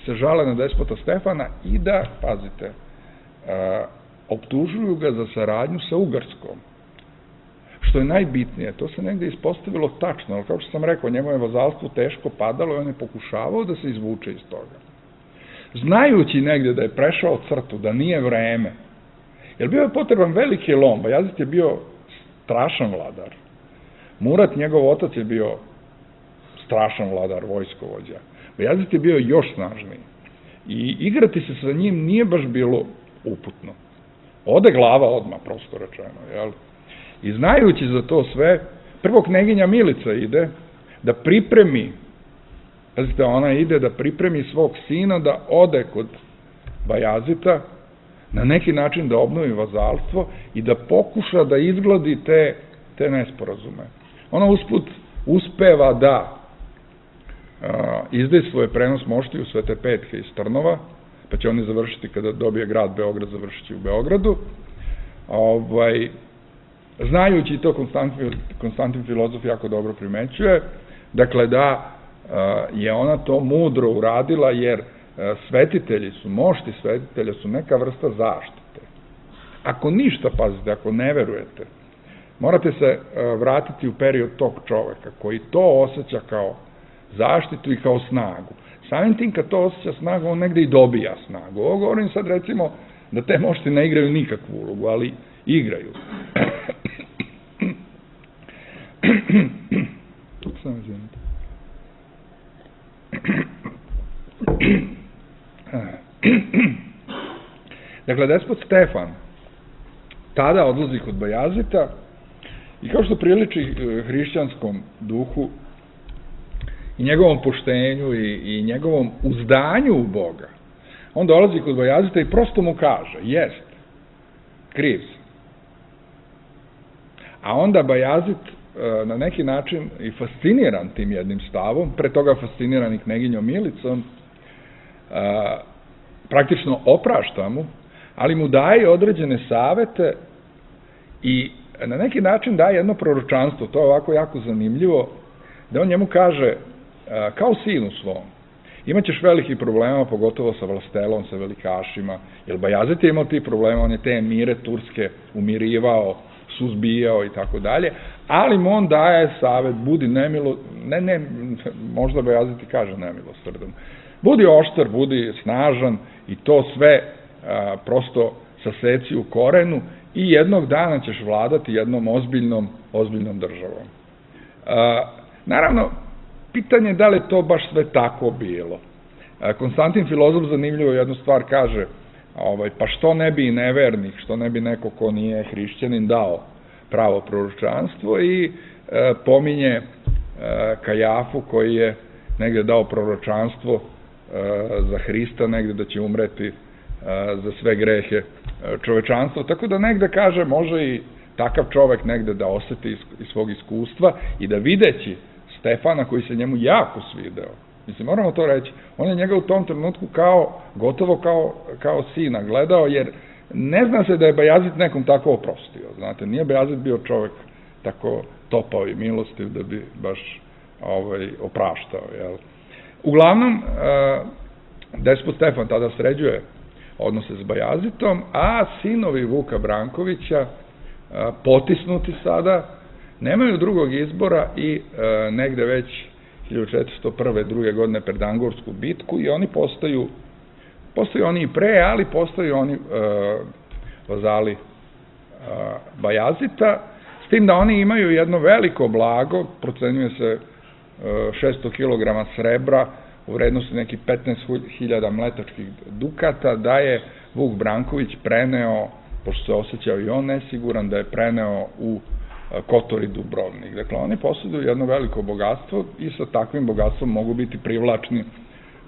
se žale na despota Stefana i da, pazite, optužuju ga za saradnju sa Ugarskom. Što je najbitnije, to se negde ispostavilo tačno, ali kao što sam rekao, njemu je vazalstvo teško padalo i on je pokušavao da se izvuče iz toga. Znajući negde da je prešao crtu, da nije vreme, jer bio je potreban veliki lom, Bajazid je bio strašan vladar. Murat, njegov otac, je bio strašan vladar, vojskovođa. Bajazid je bio još snažniji. I igrati se sa njim nije baš bilo uputno. Ode glava odmah, prosto rečeno, jel? I znajući za to sve, prvo kneginja Milica ide da pripremi, pazite, ona ide da pripremi svog sina da ode kod Bajazita, na neki način da obnovi vazalstvo i da pokuša da izgladi te, te nesporazume. Ona usput uspeva da izdaje svoje prenos moštiju Svete Petke iz Trnova, pa će oni završiti kada dobije grad Beograd, završit će u Beogradu. Ovaj, znajući to, Konstantin, Konstantin filozof jako dobro primećuje, dakle da je ona to mudro uradila, jer svetitelji su, mošti svetitelja su neka vrsta zaštite. Ako ništa, pazite, ako ne verujete, morate se vratiti u period tog čoveka koji to osjeća kao zaštitu i kao snagu. Samim tim kad to osjeća snagu, on negde i dobija snagu. Ovo govorim sad recimo da te mošti ne igraju nikakvu ulogu, ali igraju. Samo izvinite. Dakle, despot Stefan tada odlazi kod Bajazita i kao što priliči hrišćanskom duhu i njegovom poštenju i, i njegovom uzdanju u Boga, on dolazi kod Bajazita i prosto mu kaže, jest, kriv sam. A onda Bajazit na neki način i fasciniran tim jednim stavom, pre toga fasciniran i kneginjom Milicom, praktično oprašta mu, ali mu daje određene savete i na neki način daje jedno proročanstvo, to je ovako jako zanimljivo, da on njemu kaže, kao sinu svom, imaćeš velikih problema, pogotovo sa vlastelom, sa velikašima, jer Bajazit je imao ti problema, on je te emire turske umirivao, suzbijao i tako dalje, ali mu on daje savet, budi nemilo, ne, ne, možda Bajazid i kaže nemilosrdan, budi oštar, budi snažan i to sve a, prosto saseci u korenu i jednog dana ćeš vladati jednom ozbiljnom, ozbiljnom državom. A, naravno, pitanje je da li je to baš sve tako bilo. A, Konstantin Filozof zanimljivo jednu stvar kaže, ovaj, pa što ne bi i nevernik, što ne bi neko ko nije hrišćanin dao pravo proročanstvo i e, pominje e, Kajafu koji je negde dao proročanstvo e, za Hrista, negde da će umreti e, za sve grehe e, čovečanstva, tako da negde kaže može i takav čovek negde da oseti iz, iz svog iskustva i da videći Stefana koji se njemu jako svideo, mislim moramo to reći, on je njega u tom trenutku kao, gotovo kao, kao sina gledao, jer ne zna se da je Bajazid nekom tako oprostio, znate, nije Bajazid bio čovek tako topao i milostiv da bi baš ovaj, opraštao, jel? Uglavnom, despot Stefan tada sređuje odnose s Bajazitom, a sinovi Vuka Brankovića, potisnuti sada, nemaju drugog izbora i negde već hiljadu četiristo prve. druge godine pred Angorsku bitku i oni postaju Postaju oni i pre, ali postaju oni e, vazali e, Bajazita, s tim da oni imaju jedno veliko blago, procenjuje se e, šesto kilograma srebra u vrednosti nekih petnaest hiljada mletačkih dukata, da je Vuk Branković preneo, pošto se osjećao i on nesiguran, da je preneo u e, Kotor i Dubrovnik. Dakle, oni posjeduju jedno veliko bogatstvo i sa takvim bogatstvom mogu biti privlačni,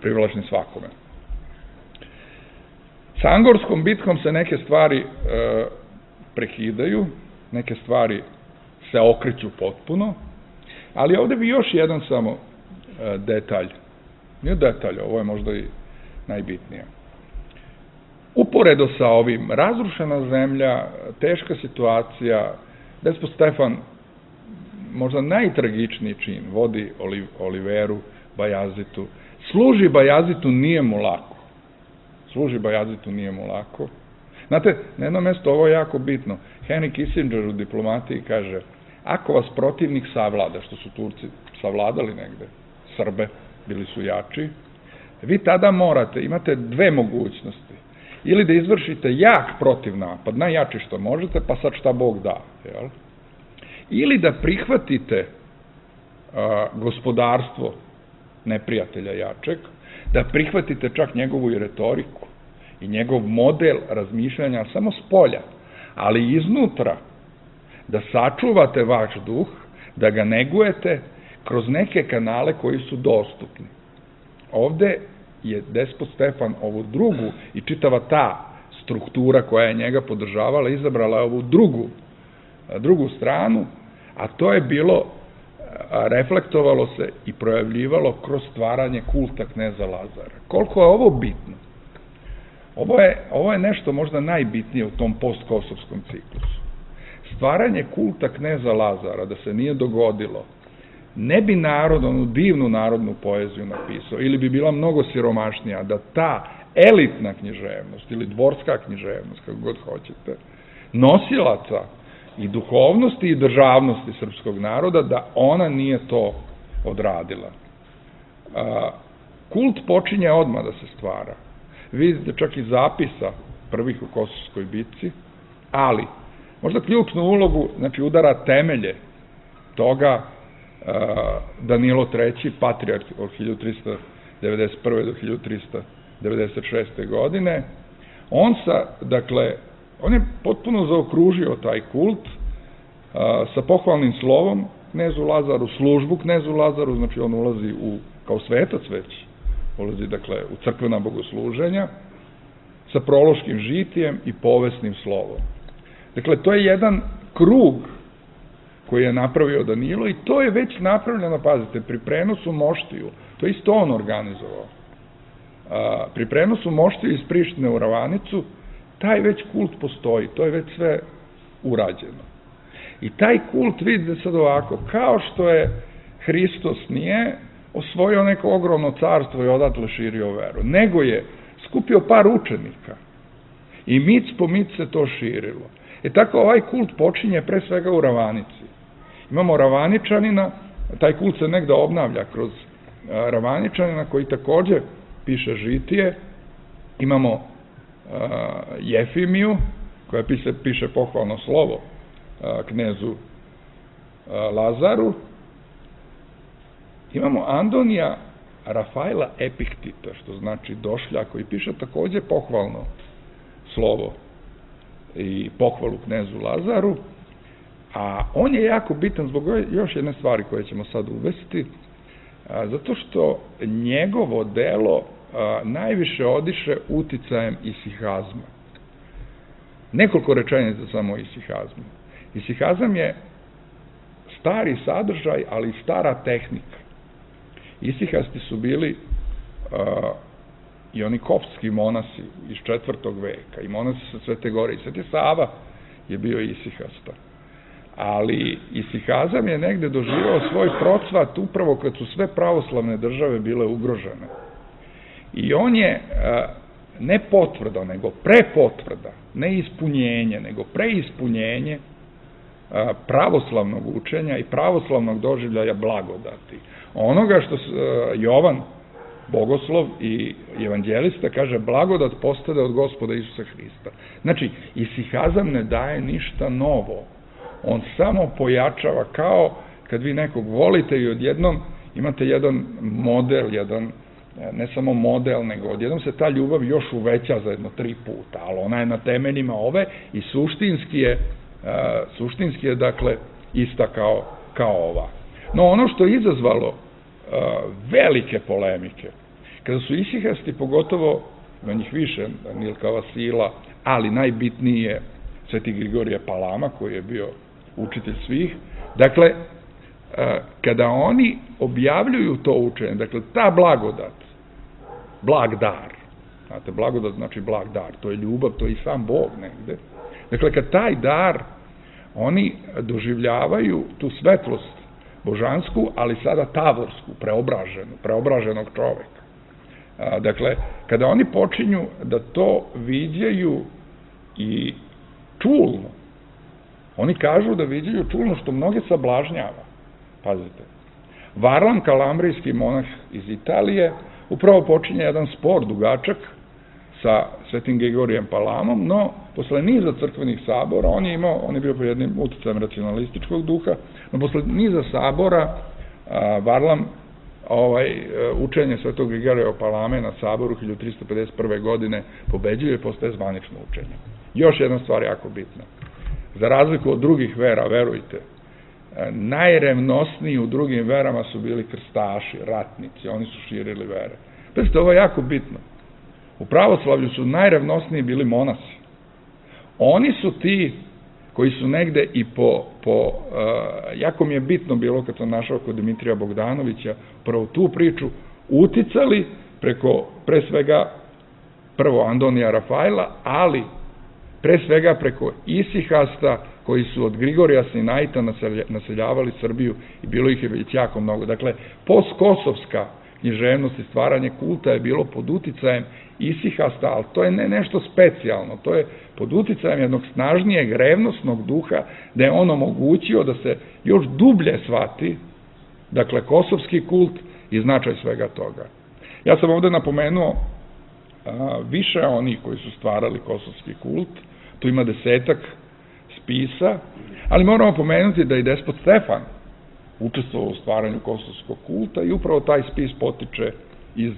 privlačni svakome. Sa Angorskom bitkom se neke stvari e, prekidaju, neke stvari se okreću potpuno, ali ovde bi još jedan samo e, detalj, nije detalj, ovo je možda i najbitnije. Uporedo sa ovim, razrušena zemlja, teška situacija, despot Stefan, možda najtragičniji čin, vodi Oliveru Bajazitu, služi Bajazitu, nije mu lako. Služi Bajazitu, nije mu lako. Znate, na jedno mesto, ovo je jako bitno. Henry Kissinger u diplomatiji kaže, ako vas protivnik savlada, što su Turci savladali negde, Srbe, bili su jači, vi tada morate, imate dve mogućnosti. Ili da izvršite jak protiv napad, najjači što možete, pa sad šta Bog da. Jel? Ili da prihvatite a, gospodarstvo neprijatelja jačeg, da prihvatite čak njegovu i retoriku i njegov model razmišljanja samo s polja, ali iznutra, da sačuvate vaš duh, da ga negujete kroz neke kanale koji su dostupni. Ovde je despot Stefan ovu drugu i čitava ta struktura koja je njega podržavala, izabrala ovu drugu, drugu stranu, a to je bilo, reflektovalo se i projavljivalo kroz stvaranje kulta kneza Lazara. Koliko je ovo bitno? Ovo je, ovo je nešto možda najbitnije u tom postkosovskom ciklusu. Stvaranje kulta kneza Lazara, da se nije dogodilo, ne bi narod, onu divnu narodnu poeziju napisao, ili bi bila mnogo siromašnija, da ta elitna književnost, ili dvorska književnost, kako god hoćete, nosilaca i duhovnosti i državnosti srpskog naroda, da ona nije to odradila. Kult počinje odmah da se stvara. Vidite čak i zapisa prvih u Kosovskoj bitci, ali možda ključnu ulogu, znači udara temelje toga Danilo treći, patrijarh od hiljadu trista devedeset prve do hiljadu trista devedeset šeste. godine. On sa, dakle, on je potpuno zaokružio taj kult a, sa pohvalnim slovom knezu Lazaru, službu knezu Lazaru, znači on ulazi u, kao svetac već, ulazi, dakle, u crkvena bogosluženja, sa prološkim žitijem i povesnim slovom. Dakle, to je jedan krug koji je napravio Danilo i to je već napravljeno, pazite, pri prenosu moštiju, to je isto on organizovao. A, pri prenosu moštiju iz Prištine u Ravanicu, taj već kult postoji, to je već sve urađeno. I taj kult, vidite sad ovako, kao što je Hristos nije osvojio neko ogromno carstvo i odatle širio veru, nego je skupio par učenika i mic po mic se to širilo. E tako ovaj kult počinje pre svega u Ravanici. Imamo Ravaničanina, taj kult se negde obnavlja kroz Ravaničanina koji takođe piše žitije. Imamo Jefimiju koja piše pohvalno slovo knezu Lazaru. Imamo Andonija Rafaela Epiktita, što znači došlja, koji piše takođe pohvalno slovo i pohvalu knezu Lazaru, a on je jako bitan zbog još jedne stvari koje ćemo sad uvesti, zato što njegovo delo najviše odiše uticajem isihazma. Nekoliko rečenica samo o isihazmu. Isihazam je stari sadržaj, ali i stara tehnika. Isihasti su bili i oni koptski monasi iz četvrtog veka, i monasi sa Svete Gore, i Sveti Sava je bio isihasta. Ali isihazam je negde doživao svoj procvat upravo kad su sve pravoslavne države bile ugrožene. I on je ne potvrda, nego prepotvrda, ne ispunjenje, nego preispunjenje pravoslavnog učenja i pravoslavnog doživljaja blagodati. Onoga što Jovan, bogoslov i evanđelista, kaže blagodat postade od Gospoda Isusa Hrista. Znači, isihazam ne daje ništa novo. On samo pojačava, kao kad vi nekog volite i odjednom imate jedan model, jedan, ne samo model, nego odjednom se ta ljubav još uveća za jedno tri puta, ali ona je na temeljima ove i suštinski je, suštinski je dakle, ista kao, kao ova. No ono što je izazvalo velike polemike, kada su isihasti, pogotovo, na njih više, Milka Vasila, ali najbitniji je Sveti Grigorije Palama, koji je bio učitelj svih, dakle, kada oni objavljuju to učenje, dakle, ta blagodat, blag dar, znate, blagodat znači blag dar, to je ljubav, to je i sam Bog negde, dakle, kad taj dar, oni doživljavaju tu svetlost božansku, ali sada tavorsku, preobraženu, preobraženog čoveka. Dakle, kada oni počinju da to viđaju i čulno, oni kažu da viđaju čulno, što mnoge sablažnjava. Pazite, Varlam, kalambrijski monah iz Italije, upravo počinje jedan spor dugačak sa Svetim Grigorijem Palamom, no posle niza crkvenih sabora, on je imao, on je bio pod jednim uticajem racionalističkog duha, no posle niza sabora Varlam ovaj, učenje Svetog Grigorija Palame na saboru hiljadu tristo pedeset prve. godine pobeđuje i postaje zvanično učenje. Još jedna stvar jako bitna. Za razliku od drugih vera, verujte, najrevnosniji u drugim verama su bili krstaši, ratnici, oni su širili vere. Pazite, ovo je jako bitno. U pravoslavlju su najrevnosniji bili monasi. Oni su ti koji su negde i po, po jako mi je bitno bilo kad sam našao kod Dimitrija Bogdanovića, prvo tu priču, uticali preko, pre svega, prvo Andonija Rafaela, ali pre svega preko isihasta koji su od Grigorija Sinaita naseljavali Srbiju i bilo ih je već jako mnogo. Dakle, postkosovska književnost i stvaranje kulta je bilo pod uticajem isihasta, ali to je ne nešto specijalno, to je pod uticajem jednog snažnijeg revnosnog duha, da je on omogućio da se još dublje shvati, dakle, kosovski kult i značaj svega toga. Ja sam ovde napomenuo a, više onih koji su stvarali kosovski kult, tu ima desetak spisa, ali moramo pomenuti da i despot Stefan učestvovao u stvaranju kosovskog kulta i upravo taj spis potiče iz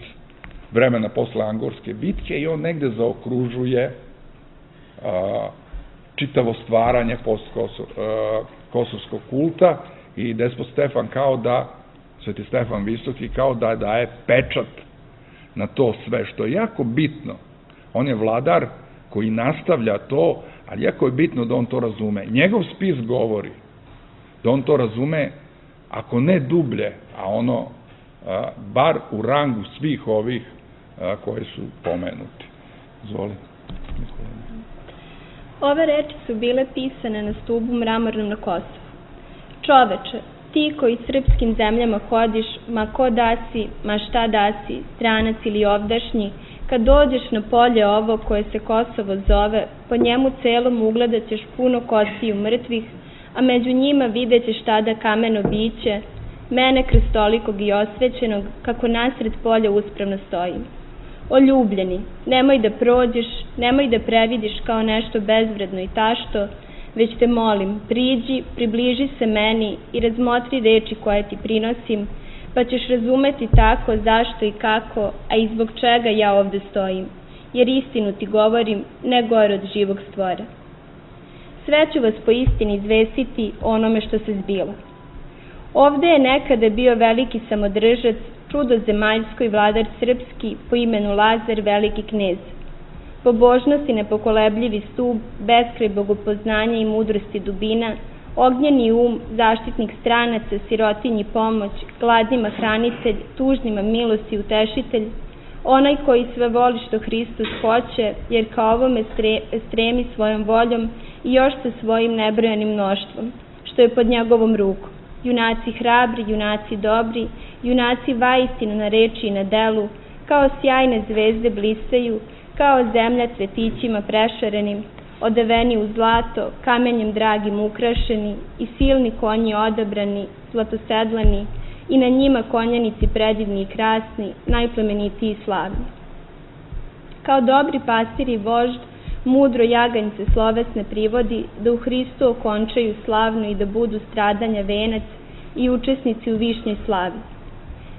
vremena posle Angorske bitke i on negde zaokružuje a, čitavo stvaranje postkosovskog kulta i despot Stefan kao da, Sveti Stefan Visoki, kao da daje pečat na to sve, što je jako bitno. On je vladar koji nastavlja to, ali jako je bitno da on to razume. Njegov spis govori da on to razume, ako ne dublje, a ono, a, bar u rangu svih ovih a, koji su pomenuti. Zvoli. Ove reči su bile pisane na stubu mramornom na Kosovu. Čoveče, ti koji srpskim zemljama hodiš, ma ko da si, ma šta da si, stranac ili ovdašnji, kad dođeš na polje ovo koje se Kosovo zove, po njemu celom ugledat ćeš puno kostiju mrtvih, a među njima vidjet ćeš tada kameno biće, mene krstolikog i osvećenog, kako nasred polja uspravno stojim. O ljubljeni, nemoj da prođeš, nemoj da previdiš kao nešto bezvredno i tašto, već te molim, priđi, približi se meni i razmotri reči koje ti prinosim, pa ćeš razumeti tako zašto i kako, a i zbog čega ja ovde stojim, jer istinu ti govorim, ne gore od živog stvora. Sve ću vas po istini izvestiti o onome što se zbilo. Ovde je nekada bio veliki samodržac, čudo zemaljsko i vladar srpski po imenu Lazar, veliki knez. Pobožnost i nepokolebljivi stub, beskraj bogopoznanja i mudrosti dubina, ognjeni um, zaštitnik stranaca, sirotinji pomoć, gladnima hranitelj, tužnima milost i utešitelj, onaj koji sve voli što Hristos hoće, jer ka ovome stremi svojom voljom i još sa svojim nebrojanim mnoštvom, što je pod njegovom rukom. Junaci hrabri, junaci dobri, junaci vaistinu na reči i na delu, kao sjajne zvezde blistaju, kao zemlja cvetićima prešarenim, odeveni u zlato, kamenjem dragim ukrašeni i silni konji odabrani, zlatosedlani i na njima konjanici predivni i krasni, najplemenitiji i slavni. Kao dobri pastir i vožd, mudro jaganjce slovesne privodi da u Hristu okončaju slavno i da budu stradanja venac i učesnici u višnjoj slavi.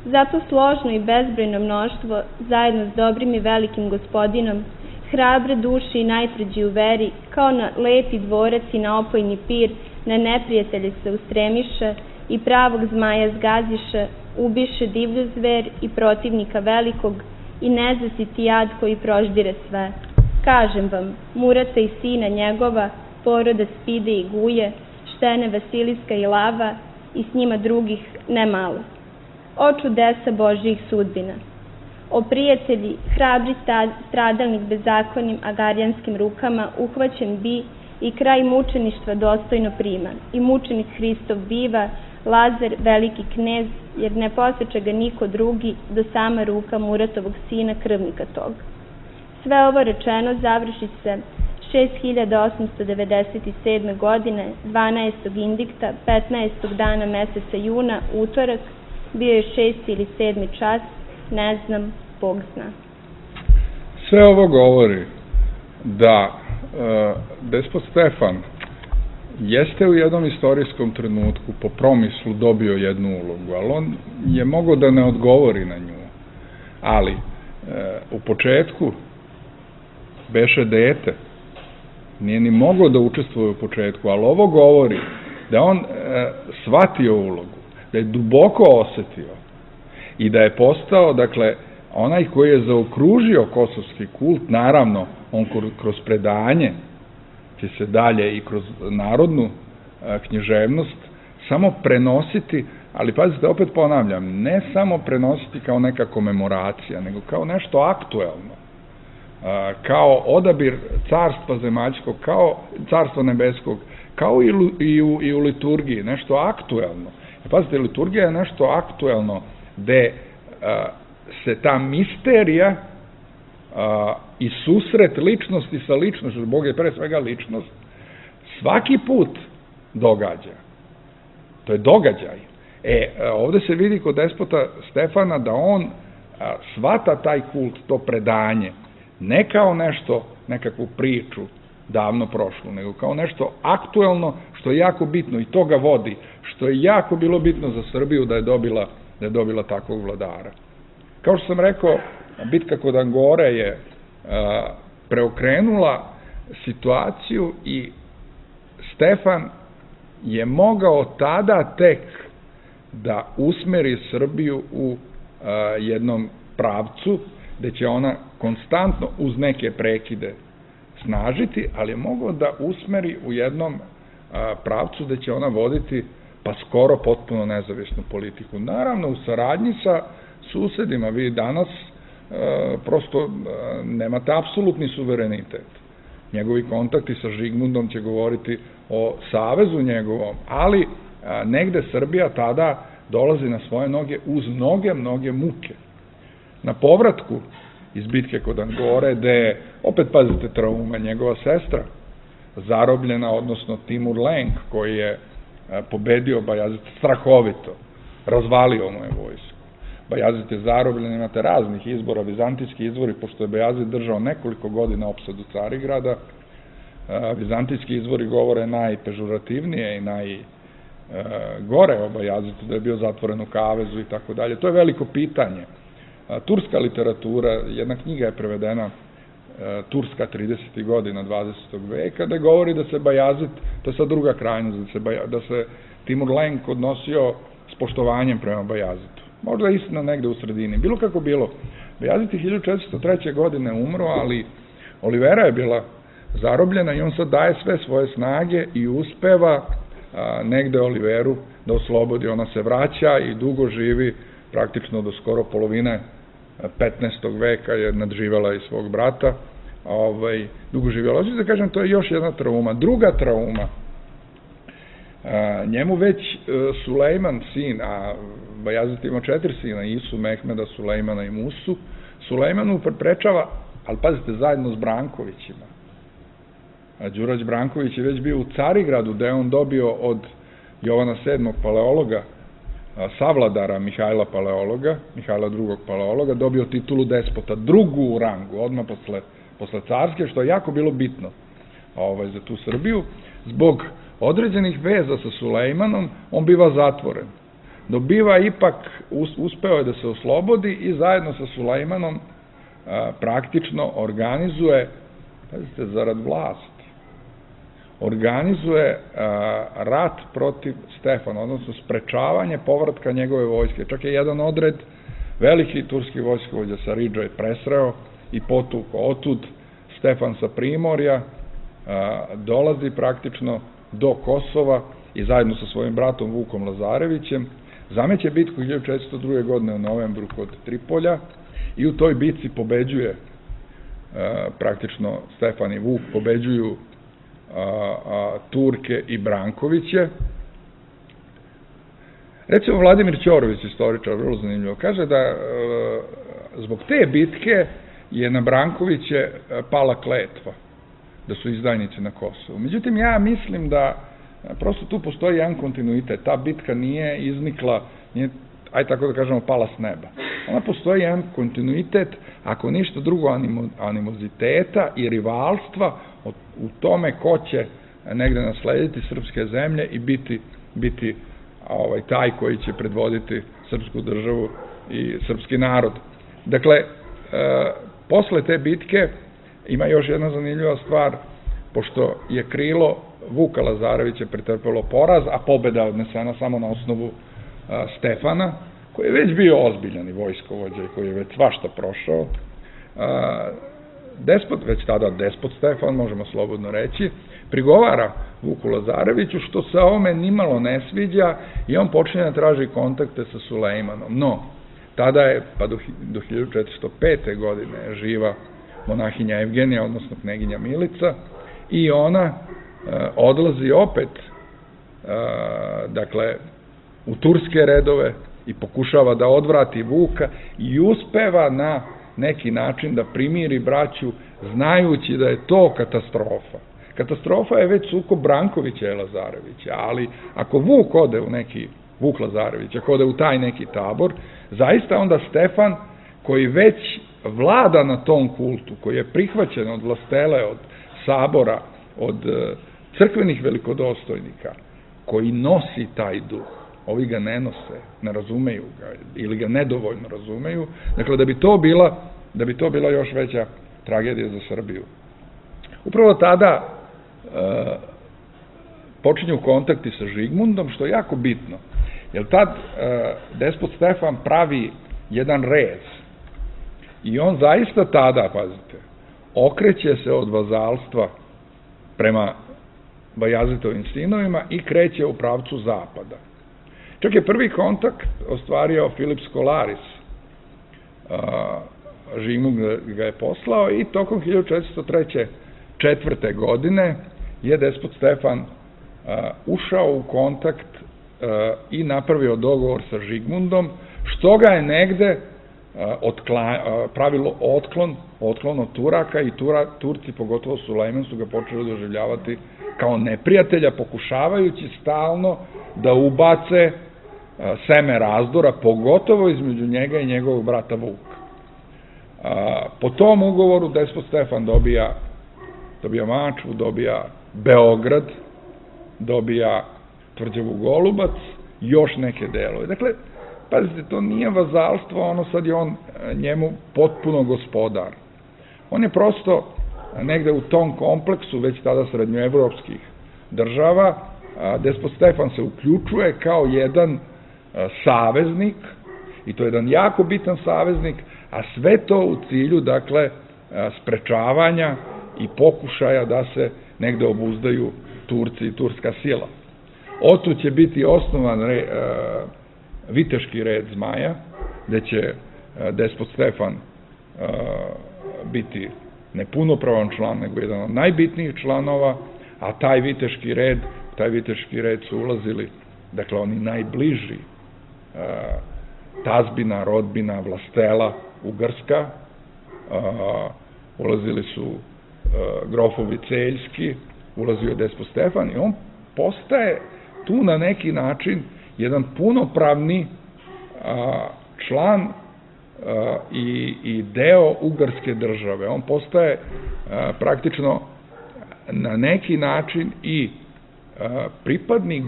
Zato složno i bezbrojno mnoštvo, zajedno s dobrim i velikim gospodinom, hrabre duše i najtvrđi u veri, kao na lepi dvorac i na opojni pir, na neprijatelje se ustremiše i pravog zmaja zgaziše, ubiše divlju zver i protivnika velikog i nezasiti jad koji proždire sve. Kažem vam, Murata i sina njegova, poroda Spide i Guje, Štene Vasiliska i Lava i s njima drugih nemalo. O čudesa Božjih sudbina! O prijatelji, hrabri stradalnik bezakonim agarijanskim rukama uhvaćen bi i kraj mučeništva dostojno prima, i mučenik Hristov biva, Lazar, veliki knez, jer ne poseče ga niko drugi do sama ruka Muratovog sina, krvnika tog. Sve ovo rečeno završi se šest hiljada osamsto devedeset sedme. godine, dvanaestog indikta, petnaestog dana meseca juna, utorak, bio je šesti ili sedmi čas, ne znam, Bog zna. Sve ovo govori da e, despot Stefan jeste u jednom istorijskom trenutku po promislu dobio jednu ulogu, ali on je mogao da ne odgovori na nju. Ali e, u početku beše dete, nije ni mogao da učestvuje u početku, ali ovo govori da on e, shvatio ulogu, da je duboko osetio i da je postao, dakle, onaj koji je zaokružio kosovski kult, naravno, on kroz predanje će se dalje i kroz narodnu a, književnost samo prenositi, ali pazite, opet ponavljam, ne samo prenositi kao neka komemoracija, nego kao nešto aktuelno, a, kao odabir carstva zemaljskog, kao carstva nebeskog, kao i, i, u, i u liturgiji, nešto aktuelno. Pazite, liturgija je nešto aktuelno gde a, se ta misterija a, i susret ličnosti sa ličnošću, Bog je pre svega ličnost, svaki put događa. To je događaj. E, ovde se vidi kod despota Stefana da on a, shvata taj kult, to predanje, ne kao nešto, nekakvu priču davno prošlu, nego kao nešto aktuelno, što je jako bitno i to ga vodi, što je jako bilo bitno za Srbiju da je dobila, da je dobila takvog vladara. Kao što sam rekao, bitka kod Angore je a, preokrenula situaciju i Stefan je mogao tada tek da usmeri Srbiju u a, jednom pravcu gde će ona konstantno uz neke prekide snažiti, ali je mogao da usmeri u jednom a, pravcu gde će ona voditi pa skoro potpuno nezavisnu politiku. Naravno, u saradnji sa susedima, vi danas e, prosto e, nemate apsolutni suverenitet. Njegovi kontakti sa Žigmundom će govoriti o savezu njegovom, ali e, negde Srbija tada dolazi na svoje noge uz mnoge, mnoge muke. Na povratku iz bitke kod Angore, gde, opet pazite, trauma, njegova sestra zarobljena, odnosno Timur Lenk, koji je pobedio Bajazit strahovito, razvalio mu je vojsku. Bajazit je zarobljen, imate raznih izbora, vizantijski izvori, pošto je Bajazit držao nekoliko godina opsadu Carigrada, vizantijski izvori govore najpežurativnije i najgore o Bajazitu, da je bio zatvoren u kavezu i tako dalje. To je veliko pitanje. Turska literatura, jedna knjiga je prevedena, Turska tridesetih godina dvadesetog veka, da govori da se Bajazit, to je sad druga krajnost, da se, da se Timur Lenk odnosio s poštovanjem prema Bajazitu. Možda istina negde u sredini. Bilo kako bilo. Bajazit je hiljadu četiristo treće. godine umro, ali Olivera je bila zarobljena i on sad daje sve svoje snage i uspeva a, negde Oliveru da oslobodi. Ona se vraća i dugo živi, praktično do skoro polovine petnaestog veka je nadživela i svog brata, ovaj, dugo živjela. Hoću da kažem, to je još jedna trauma. Druga trauma, a, njemu već a, Sulejman, sin, a Bajazit ima četiri sina, Isu, Mehmeda, Sulejmana i Musu, Sulejmanu preprečava, ali pazite, zajedno s Brankovićima. A Đurađ Branković je već bio u Carigradu, gde je on dobio od Jovana sedmog paleologa, savladara Mihajla Paleologa, Mihajla drugog paleologa, dobio titulu despota, drugu u rangu, odmah posle, posle carske, što je jako bilo bitno ovaj, za tu Srbiju. Zbog određenih veza sa Sulejmanom, on biva zatvoren. Dobiva ipak, uspeo je da se oslobodi i zajedno sa Sulejmanom a, praktično organizuje, pazite, zarad vlasti, organizuje a, rat protiv Stefana, odnosno sprečavanje povratka njegove vojske. Čak je jedan odred, veliki turski vojskovođa Saridža je presreo i potuko. Otud Stefan sa Primorja a, dolazi praktično do Kosova i zajedno sa svojim bratom Vukom Lazarevićem zameće bitku hiljadu četiristo druge. godine u novembru kod Tripolja i u toj bitci pobeđuje a, praktično Stefan i Vuk pobeđuju A, a, Turke i Brankoviće. Recimo Vladimir Ćorović, istoričar, vrlo zanimljivo, kaže da a, zbog te bitke je na Brankoviće pala kletva, da su izdajnici na Kosovu. Međutim, ja mislim da a, prosto tu postoji jedan kontinuitet. Ta bitka nije iznikla, nije, aj tako da kažemo, pala s neba. Ona postoji jedan kontinuitet, ako ništa drugo, animo, animoziteta i rivalstva u tome ko će negde naslediti srpske zemlje i biti, biti ovaj, taj koji će predvoditi srpsku državu i srpski narod. Dakle, e, posle te bitke ima još jedna zanimljiva stvar, pošto je krilo Vuka Lazarevića pretrpelo poraz, a pobeda odnesena samo na osnovu a, Stefana, koji je već bio ozbiljan i vojskovođa i koji je već svašta prošao. A, Despot, već tada despot Stefan, možemo slobodno reći, prigovara Vuku Lazareviću, što se ovome nimalo ne sviđa i on počinje da traži kontakte sa Sulejmanom. No, tada je, pa do, do hiljadu četiristo pete. godine živa monahinja Evgenija, odnosno kneginja Milica, i ona e, odlazi opet, e, dakle, u turske redove i pokušava da odvrati Vuka i uspeva na neki način da primiri braću, znajući da je to katastrofa. Katastrofa je već sukob Brankovića i Lazarevića, ali ako Vuk ode u neki, Vuk Lazarević, ako ode u taj neki tabor, zaista onda Stefan, koji već vlada na tom kultu, koji je prihvaćen od vlastele, od sabora, od crkvenih velikodostojnika, koji nosi taj duh, ovi ga ne nose, ne razumeju ga ili ga nedovoljno razumeju, dakle da bi to bila, da bi to bila još veća tragedija za Srbiju. Upravo tada e, počinju kontakti sa Žigmundom, što je jako bitno, jer tad e, despot Stefan pravi jedan rez i on zaista tada, pazite, okreće se od vazalstva prema Bajazitovim sinovima i kreće u pravcu zapada. Čak je prvi kontakt ostvario Filip Skolaris, Žigmund ga je poslao i tokom hiljadu četiristo četvrte. godine je despot Stefan ušao u kontakt i napravio dogovor sa Žigmundom, što ga je negde pravilo otklon, otklon od Turaka i Turci, pogotovo Sulejman, su ga počeli doživljavati kao neprijatelja, pokušavajući stalno da ubace seme razdora, pogotovo između njega i njegovog brata Vuka. Po tom ugovoru despot Stefan dobija, dobija Mačvu, dobija Beograd, dobija Tvrđavu Golubac, još neke delove. Dakle, pazite, to nije vazalstvo, ono sad je on njemu potpuno gospodar. On je prosto negde u tom kompleksu, već tada srednjoevropskih država, despot Stefan se uključuje kao jedan saveznik, i to je jedan jako bitan saveznik, a sve to u cilju, dakle, sprečavanja i pokušaja da se negde obuzdaju Turci i turska sila. Otu će biti osnovan viteški red Zmaja, gde će despot Stefan biti ne punopravan član, nego jedan od najbitnijih članova, a taj viteški red, taj viteški red su ulazili, dakle, oni najbliži, tazbina, rodbina, vlastela, Ugarska, ulazili su grofovi Celjski, ulazio je despot Stefan i on postaje tu na neki način jedan punopravni član i deo Ugarske države. On postaje praktično na neki način i pripadnik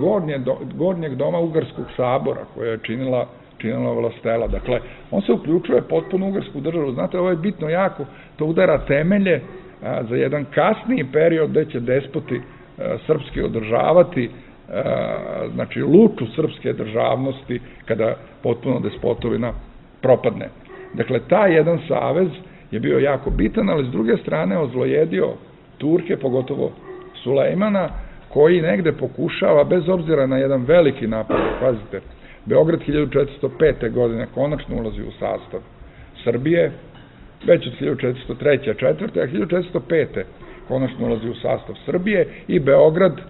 gornjeg doma Ugarskog sabora, koja je činila činila vlastela. Dakle, on se uključuje potpuno u Ugarsku državu. Znate, ovo je bitno jako, to udara temelje za jedan kasniji period gde će despoti srpski održavati, znači, luču srpske državnosti kada potpuno despotovina propadne. Dakle, taj jedan savez je bio jako bitan, ali s druge strane ozlojedio Turke, pogotovo Sulejmana, koji negde pokušava, bez obzira na jedan veliki napad, pazite, Beograd hiljadu četiristo pete. godine konačno ulazi u sastav Srbije, već od hiljadu četiristo treće. četvrte. a hiljadu četiristo pete. konačno ulazi u sastav Srbije i Beograd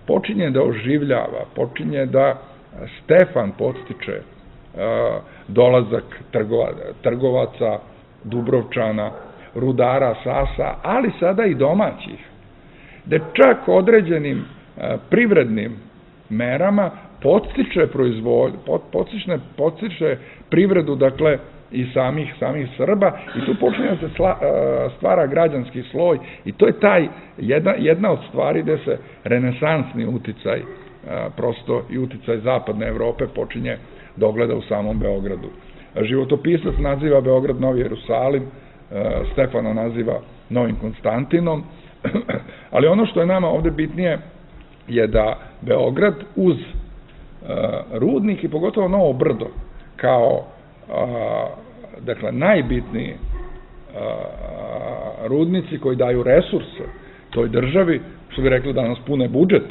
počinje da oživljava, počinje da Stefan podstiče dolazak trgovaca, Dubrovčana, rudara, Sasa, ali sada i domaćih, da čak određenim privrednim merama podstiče proizvodnju, podstiče privredu, dakle, i samih, samih Srba, i tu počinje da se stvara građanski sloj, i to je taj, jedna, jedna od stvari gde se renesansni uticaj, prosto i uticaj zapadne Evrope počinje da ogleda u samom Beogradu. Životopisac naziva Beograd Novi Jerusalim, Stefana naziva Novim Konstantinom, ali ono što je nama ovde bitnije je da Beograd uz rudnik i pogotovo Novo Brdo kao, dakle, najbitniji rudnici koji daju resurse toj državi, što bi rekli danas pune budžet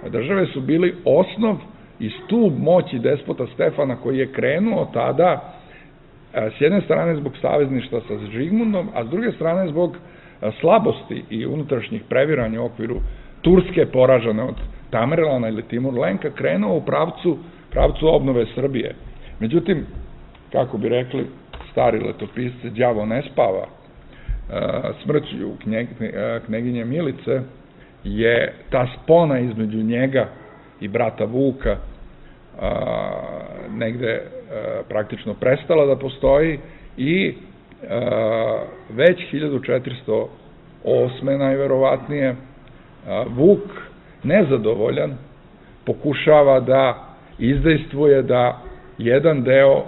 države, su bili osnov i stub moći despota Stefana, koji je krenuo tada s jedne strane zbog savezništva sa Žigmundom, a s druge strane zbog slabosti i unutrašnjih previranja u okviru Turske, poražene od Tamerlana ili Timur-Lenka, krenuo u pravcu, pravcu obnove Srbije. Međutim, kako bi rekli stari letopisci, đavo ne spava. Smrću kneginje Milice je ta spona između njega i brata Vuka negde praktično prestala da postoji i već hiljadu četiristo osme. najverovatnije Vuk, nezadovoljan, pokušava da izdejstvuje da jedan deo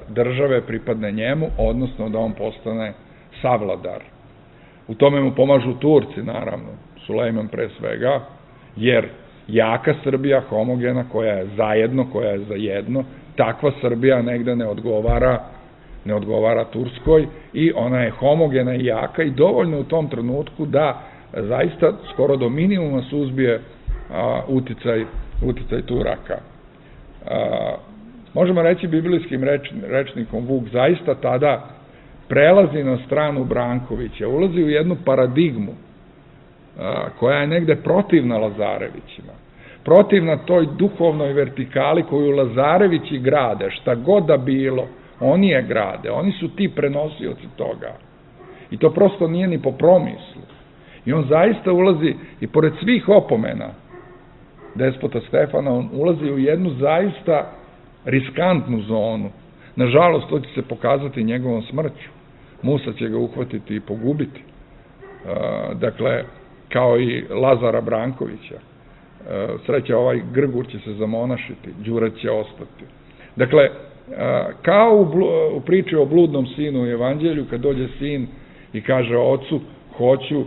države pripadne njemu, odnosno da on postane savladar. U tome mu pomažu Turci, naravno, Sulejman pre svega, jer jaka Srbija, homogena, koja je zajedno, koja je za jedno, takva Srbija negde ne odgovara, ne odgovara Turskoj, i ona je homogena i jaka i dovoljno u tom trenutku da zaista skoro do minimuma suzbije uticaj, uticaj Turaka. Možemo reći biblijskim rečnikom, Vuk zaista tada prelazi na stranu Brankovića, ulazi u jednu paradigmu koja je negde protivna Lazarevićima, protivna toj duhovnoj vertikali koju Lazarevići grade, šta god da bilo, oni je grade, oni su ti prenosioci toga. I to prosto nije ni po promislu. I on zaista ulazi, i pored svih opomena despota Stefana, on ulazi u jednu zaista riskantnu zonu. Nažalost, to će se pokazati njegovom smrću. Musa će ga uhvatiti i pogubiti. Dakle, kao i Lazara Brankovića. Sreća, ovaj Grgur će se zamonašiti, Đura će ostati. Dakle, kao u priči o bludnom sinu u Evanđelju, kad dođe sin i kaže ocu, hoću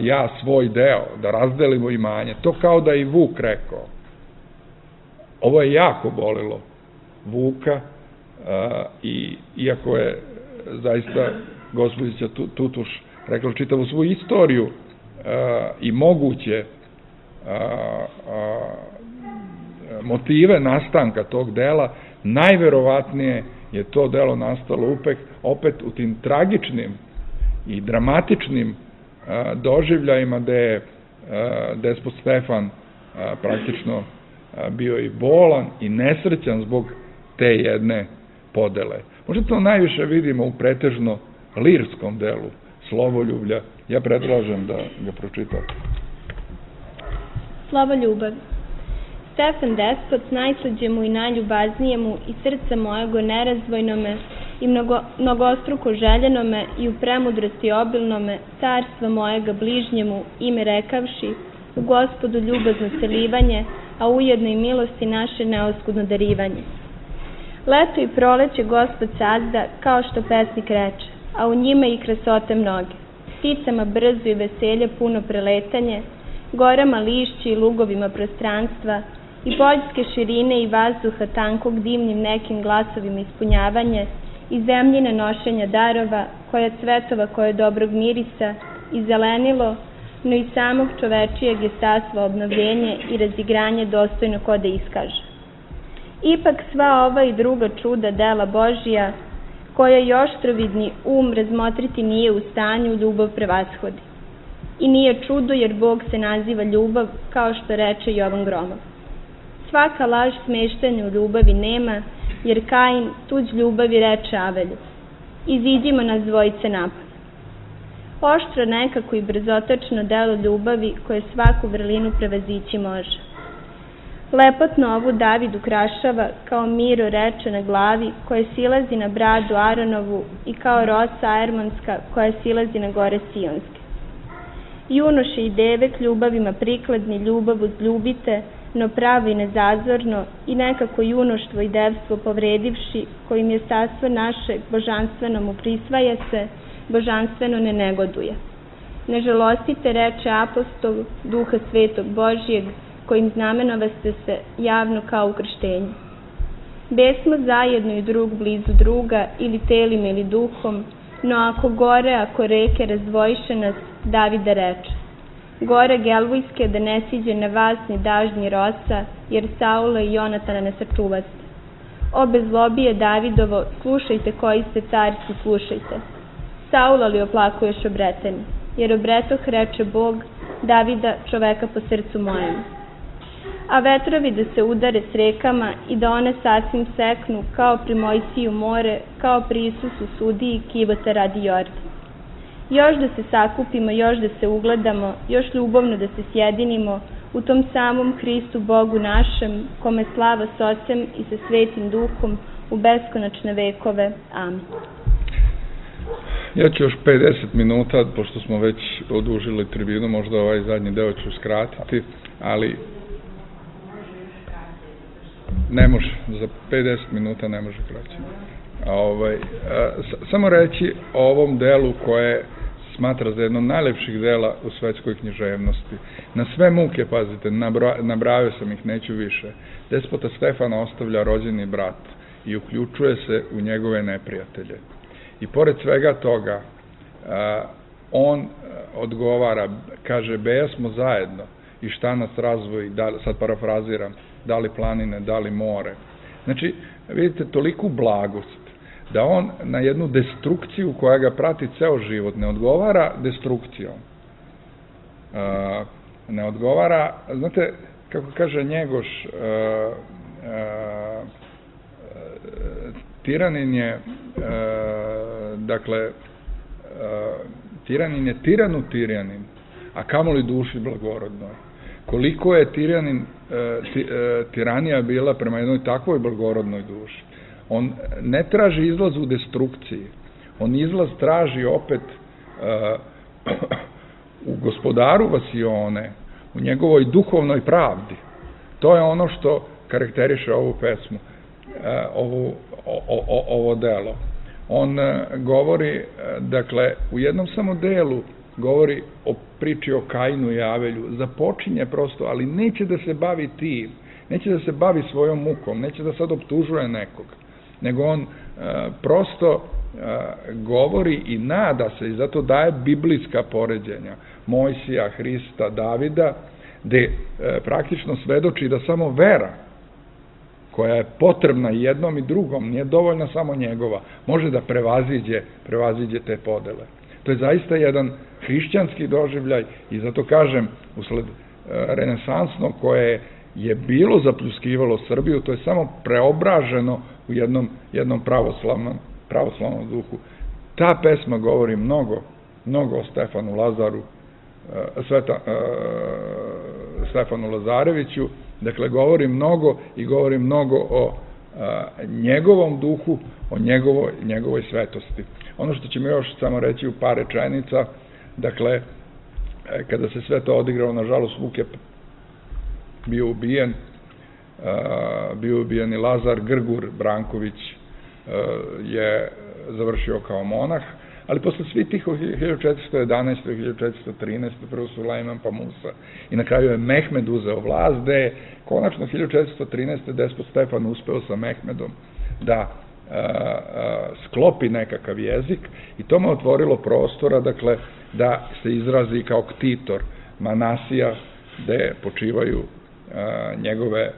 ja svoj deo, da razdelimo imanje. To kao da i Vuk rekao. Ovo je jako bolilo Vuka, i iako je zaista gospođica Tutuš rekla čitavu svoju istoriju i moguće motive nastanka tog dela, najverovatnije je to delo nastalo opet u tim tragičnim i dramatičnim doživljajima gde je despot Stefan praktično bio i bolan i nesrećan zbog te jedne podele. Možda to najviše vidimo u pretežno lirskom delu Slovoljublja. Ja predlažem da ga pročitate. Slovo ljubavi. Stefan despot, najslađemu i najljubaznijemu i srce mojego nerazvojnome i mnogostruko željenome i u premudrosti obilnome, carstva mojega bližnjemu, ime rekavši, u Gospodu ljubazno celivanje, a ujedno i milosti naše neoskudno darivanje. Leto i proleće Gospod sazda, kao što pesnik reče, a u njima i krasote mnoge. Pticama brzo i veselje puno preletanje, gorama lišći i lugovima prostranstva, i poljske širine i vazduha tankog dimnim nekim glasovima ispunjavanje, i zemljine nošenja darova, koja cvetova koje dobrog mirisa, i zelenilo, no i samog čovečijeg jestarstva obnovljenje i razigranje dostojno ko da iskaže. Ipak sva ova i druga čuda dela Božija, koja i oštrovidni um razmotriti nije u stanju, ljubav prevashodi. I nije čudo jer Bog se naziva ljubav, kao što reče Jovan Gromov. Svaka laž smeštanja u ljubavi nema, jer Kain tuđ ljubavi reče Avelju. Iziđimo nas dvojice napad. Oštro nekako i brzotočno delo ljubavi koje svaku vrlinu prevazići može. Lepotno ovu David ukrašava kao Miro reče na glavi koje silazi na bradu Aronovu i kao rosa Aermonska koja silazi na gore Sionske. Junoše i devek ljubavima prikladni ljubav uzljubite, no pravo i nezazorno i nekako junoštvo i devstvo povredivši, kojim je sastvo naše božanstveno mu prisvaja se, božanstveno ne negoduje. Ne žalostite, reče apostol, duha svetog Božijeg, kojim znamenovaste se javno kao u krštenju. Besmo zajedno i drug blizu druga, ili telima ili duhom, no ako gore, ako reke razdvojiše nas, Davida reče. Gore Gelvujske da ne siđe na vas ni daž ni rosa, jer Saula i Jonatana ne sačuvaste. O bezlobije Davidovo, slušajte koji ste carci, slušajte. Saula li oplakuješ obreteni, jer obretoh reče Bog, Davida čoveka po srcu mojemu. A vetrovi da se udare s rekama i da one sasvim seknu, kao pri Mojsiju more, kao pri Isusu sudiji kivota radi Jordan. Još da se sakupimo, još da se ugledamo, još ljubavno da se sjedinimo u tom samom Hristu Bogu našem, kome slava s Ocem i sa Svetim Duhom u beskonačne vekove. Amin. Ja ću još pedeset minuta, pošto smo već odužili tribinu, možda ovaj zadnji deo ću skratiti, ali ne može, za pedeset minuta ne može kraće. Ovaj, samo reći o ovom delu koje smatra za jedno od najlepših dela u svetskoj književnosti. Na sve muke, pazite, nabrajao sam ih, neću više. Despota Stefana ostavlja rođeni brat i uključuje se u njegove neprijatelje. I pored svega toga, on odgovara, kaže, beja smo zajedno i šta nas razvoji, sad parafraziram, da li planine, da li more. Znači, vidite, toliku blagost da on na jednu destrukciju koja ga prati ceo život ne odgovara destrukcijom. Ne odgovara, znate, kako kaže Njegoš, tiranin je, dakle, tiranin je tiranu tiranin, a kamoli duši blagorodnoj. Koliko je tiranin, tiranija bila prema jednoj takvoj blagorodnoj duši. On ne traži izlaz u destrukciji, on izlaz traži opet u gospodaru vasione, u njegovoj duhovnoj pravdi. To je ono što karakteriše ovu pesmu, ovu, o, o, ovo delo. On govori, dakle, u jednom samo delu govori o priči o Kainu i Avelju, započinje prosto, ali neće da se bavi tim, neće da se bavi svojom mukom, neće da sad optužuje nekog, nego on prosto govori i nada se, i zato daje biblijska poređenja Mojsija, Hrista, Davida, gde praktično svedoči da samo vera, koja je potrebna jednom i drugom, nije dovoljna samo njegova, može da prevaziđe, prevaziđe te podele. To je zaista jedan hrišćanski doživljaj i zato kažem, usled renesansno koje je bilo zapljuskivalo Srbiju, to je samo preobraženo u jednom, jednom pravoslavnom, pravoslavnom duhu. Ta pesma govori mnogo, mnogo o Stefanu Lazaru, Sveta, Stefanu Lazareviću, dakle govori mnogo i govori mnogo o njegovom duhu, o njegovoj, njegovoj svetosti. Ono što ćemo još samo reći u par rečenica, dakle, kada se sve to odigralo, nažalost, Vuk je bio ubijen, bio ubijen i Lazar, Grgur Branković je završio kao monah, ali posle svih tih u hiljadu četiristo jedanaeste. i hiljadu četiristo trinaeste. prvo Sulejman pa Musa i na kraju je Mehmed uzeo vlast, gde je konačno hiljadu četiristo trinaeste. despot Stefan uspeo sa Mehmedom da sklopi nekakav jezik i to mu je otvorilo prostora, dakle, da se izrazi kao ktitor Manasija, gde počivaju njegove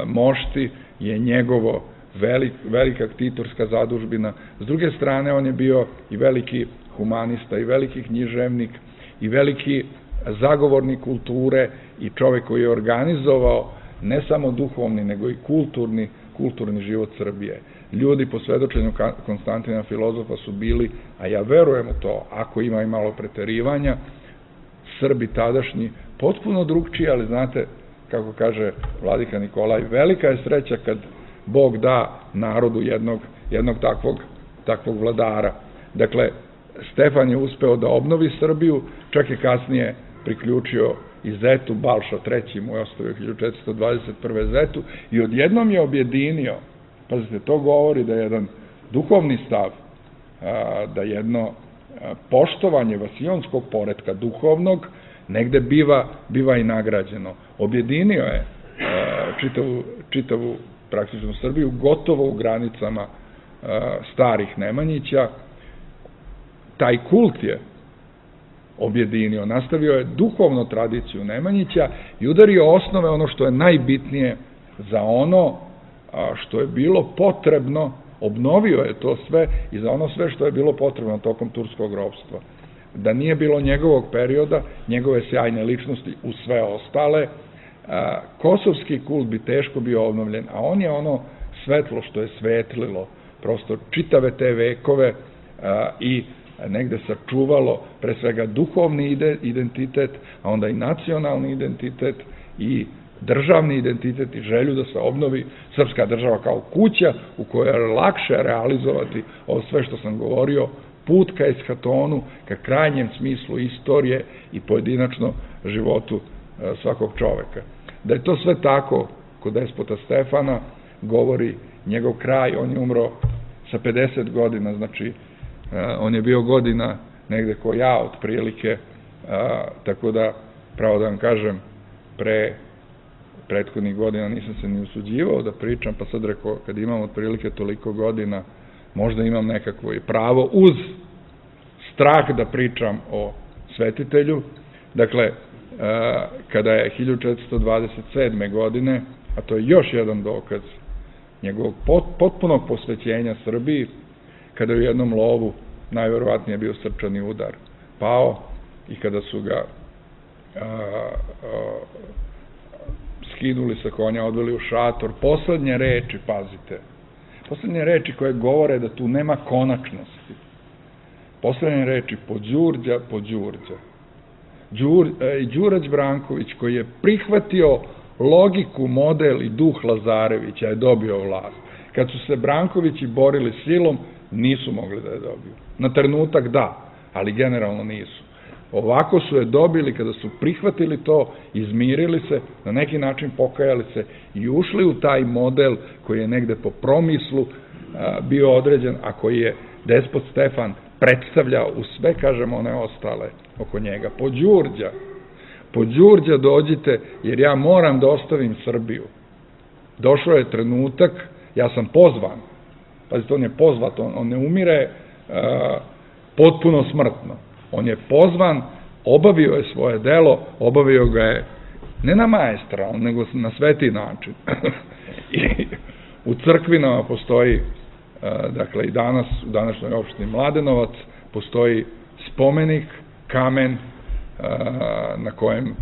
mošti, je njegovo Velik, velika ktitorska zadužbina. S druge strane, on je bio i veliki humanista, i veliki književnik, i veliki zagovornik kulture i čovek koji je organizovao ne samo duhovni, nego i kulturni, kulturni život Srbije. Ljudi po svedočenju Konstantina Filozofa su bili, a ja verujem u to, ako ima i malo preterivanja, Srbi tadašnji potpuno drugčiji, ali znate, kako kaže vladika Nikolaj, velika je sreća kad Bog da narodu jednog, jednog takvog, takvog vladara. Dakle, Stefan je uspeo da obnovi Srbiju, čak je kasnije priključio i zetu, Balša treći mu je ostavio hiljadu četiristo dvadeset prve zetu i odjednom je objedinio, pazite, to govori da je jedan duhovni stav, da jedno poštovanje vasionskog poretka duhovnog negde biva, biva i nagrađeno. Objedinio je čitavu, čitavu praktično Srbiju, gotovo u granicama starih Nemanjića. Taj kult je objedinio, nastavio je duhovnu tradiciju Nemanjića i udario osnove, ono što je najbitnije za ono što je bilo potrebno, obnovio je to sve i za ono sve što je bilo potrebno tokom turskog ropstva. Da nije bilo njegovog perioda, njegove sjajne ličnosti u sve ostale, kosovski kult bi teško bio obnovljen, a on je ono svetlo što je svetlilo, prosto čitave te vekove i negde sačuvalo pre svega duhovni identitet, a onda i nacionalni identitet i državni identitet i želju da se obnovi srpska država kao kuća u kojoj je lakše realizovati ovo sve što sam govorio, put ka eshatonu, ka krajnjem smislu istorije i pojedinačno životu svakog čoveka. Da je to sve tako kod despota Stefana, govori njegov kraj. On je umro sa pedeset godina, znači on je bio godina negde ko ja otprilike, tako da, pravo da vam kažem, pre prethodnih godina nisam se ni usuđivao da pričam, pa sad rekao, kad imam otprilike toliko godina, možda imam nekakvo i pravo uz strah da pričam o svetitelju. Dakle, kada je hiljadu četiristo dvadeset sedme. godine, a to je još jedan dokaz njegovog potpunog posvećenja Srbiji, kada je u jednom lovu najverovatnije bio srčani udar pao i kada su ga a, a, skinuli sa konja, odveli u šator, poslednje reči, pazite, poslednje reči koje govore da tu nema konačnosti. Poslednje reči po Đurđa, po Đurđa. Đur, e, Đurać Branković koji je prihvatio logiku, model i duh Lazarevića je dobio vlast. Kad su se Brankovići borili silom, nisu mogli da je dobiju. Na trenutak da, ali generalno nisu. Ovako su je dobili kada su prihvatili to, izmirili se, na neki način pokajali se i ušli u taj model koji je negde po promislu a, bio određen, a koji je despot Stefan predstavljao u sve, kažemo, one ostale oko njega. Po Đurđa, po Đurđa dođite, jer ja moram da ostavim Srbiju. Došao je trenutak, ja sam pozvan, pazite, on je pozvat, on, on ne umire a, potpuno smrtno. On je pozvan, obavio je svoje delo, obavio ga je ne na maestralno, nego na sveti način. I u crkvinama postoji, dakle i danas, u današnjoj opštini Mladenovac, postoji spomenik, kamen, na kojem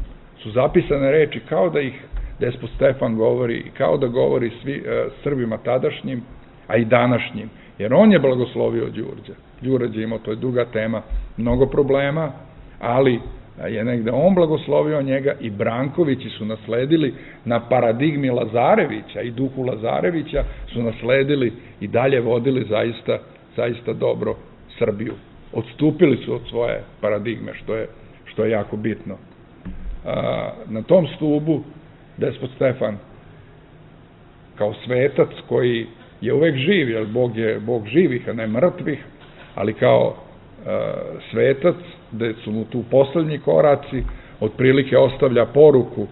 su zapisane reči kao da ih despot Stefan govori, kao da govori svi Srbima tadašnjim, a i današnjim. Jer on je blagoslovio Đurđa. Đurđa imao, to je duga tema, mnogo problema, ali je negde on blagoslovio njega i Brankovići su nasledili na paradigmi Lazarevića i duhu Lazarevića su nasledili i dalje vodili zaista, zaista dobro Srbiju. Odstupili su od svoje paradigme, što je, što je jako bitno. Na tom stubu despot Stefan kao svetac koji je uvek živ, jer Bog je Bog živih, a ne mrtvih, ali kao e, svetac, gde su mu tu poslednji koraci, otprilike ostavlja poruku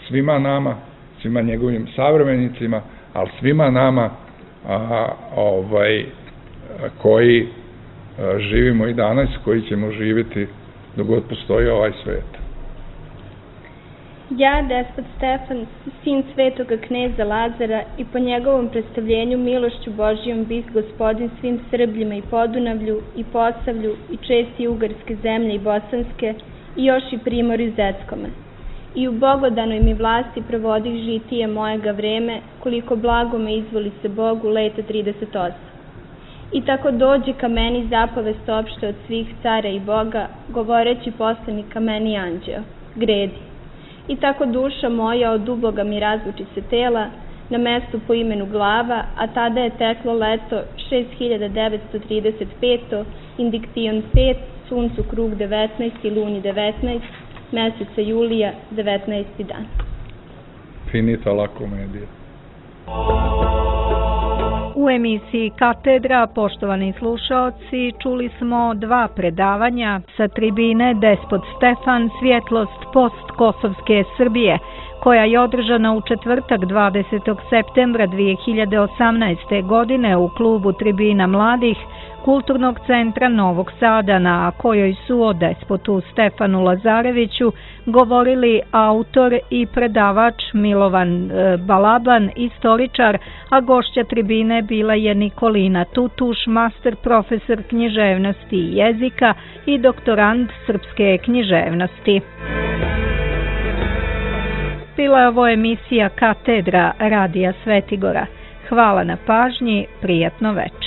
svima nama, svima njegovim savremenicima, ali svima nama a, ovaj, koji a, živimo i danas, koji ćemo živjeti dok god postoji ovaj svet. Ja, despot Stefan, sin svetoga kneza Lazara i po njegovom predstavljenju milošću Božijom bih gospodin svim Srbljima i Podunavlju i Posavlju i česti ugarske zemlje i bosanske i još i primorju Zeckome. I u bogodanoj mi vlasti provodih žitije mojega vreme, koliko blago me izvoli se Bogu leta trideset osam. I tako dođe ka meni zapovest opšte od svih cara i Boga, govoreći poslanik ka meni anđeo, gredi. I tako duša moja od uboga mi razluči se tela, na mestu po imenu glava, a tada je teklo leto šest hiljada devetsto trideset peto, indiktion pet, suncu krug devetnaest i luni devetnaest, meseca julija devetnaesti dan. Finita la komedija. U emisiji Katedra, poštovani slušaoci, čuli smo dva predavanja sa tribine Despot Stefan, svjetlost postkosovske Srbije, koja je održana u četvrtak dvadesetog septembra dve hiljade osamnaeste. godine u klubu Tribina mladih Kulturnog centra Novog Sada, na kojoj su o despotu Stefanu Lazareviću govorili autor i predavač Milovan Balaban, istoričar, a gošća tribine bila je Nikolina Tutuš, master profesor književnosti i jezika i doktorant srpske književnosti. Bila je ovo emisija Katedra Radija Svetigora. Hvala na pažnji, prijatno večer.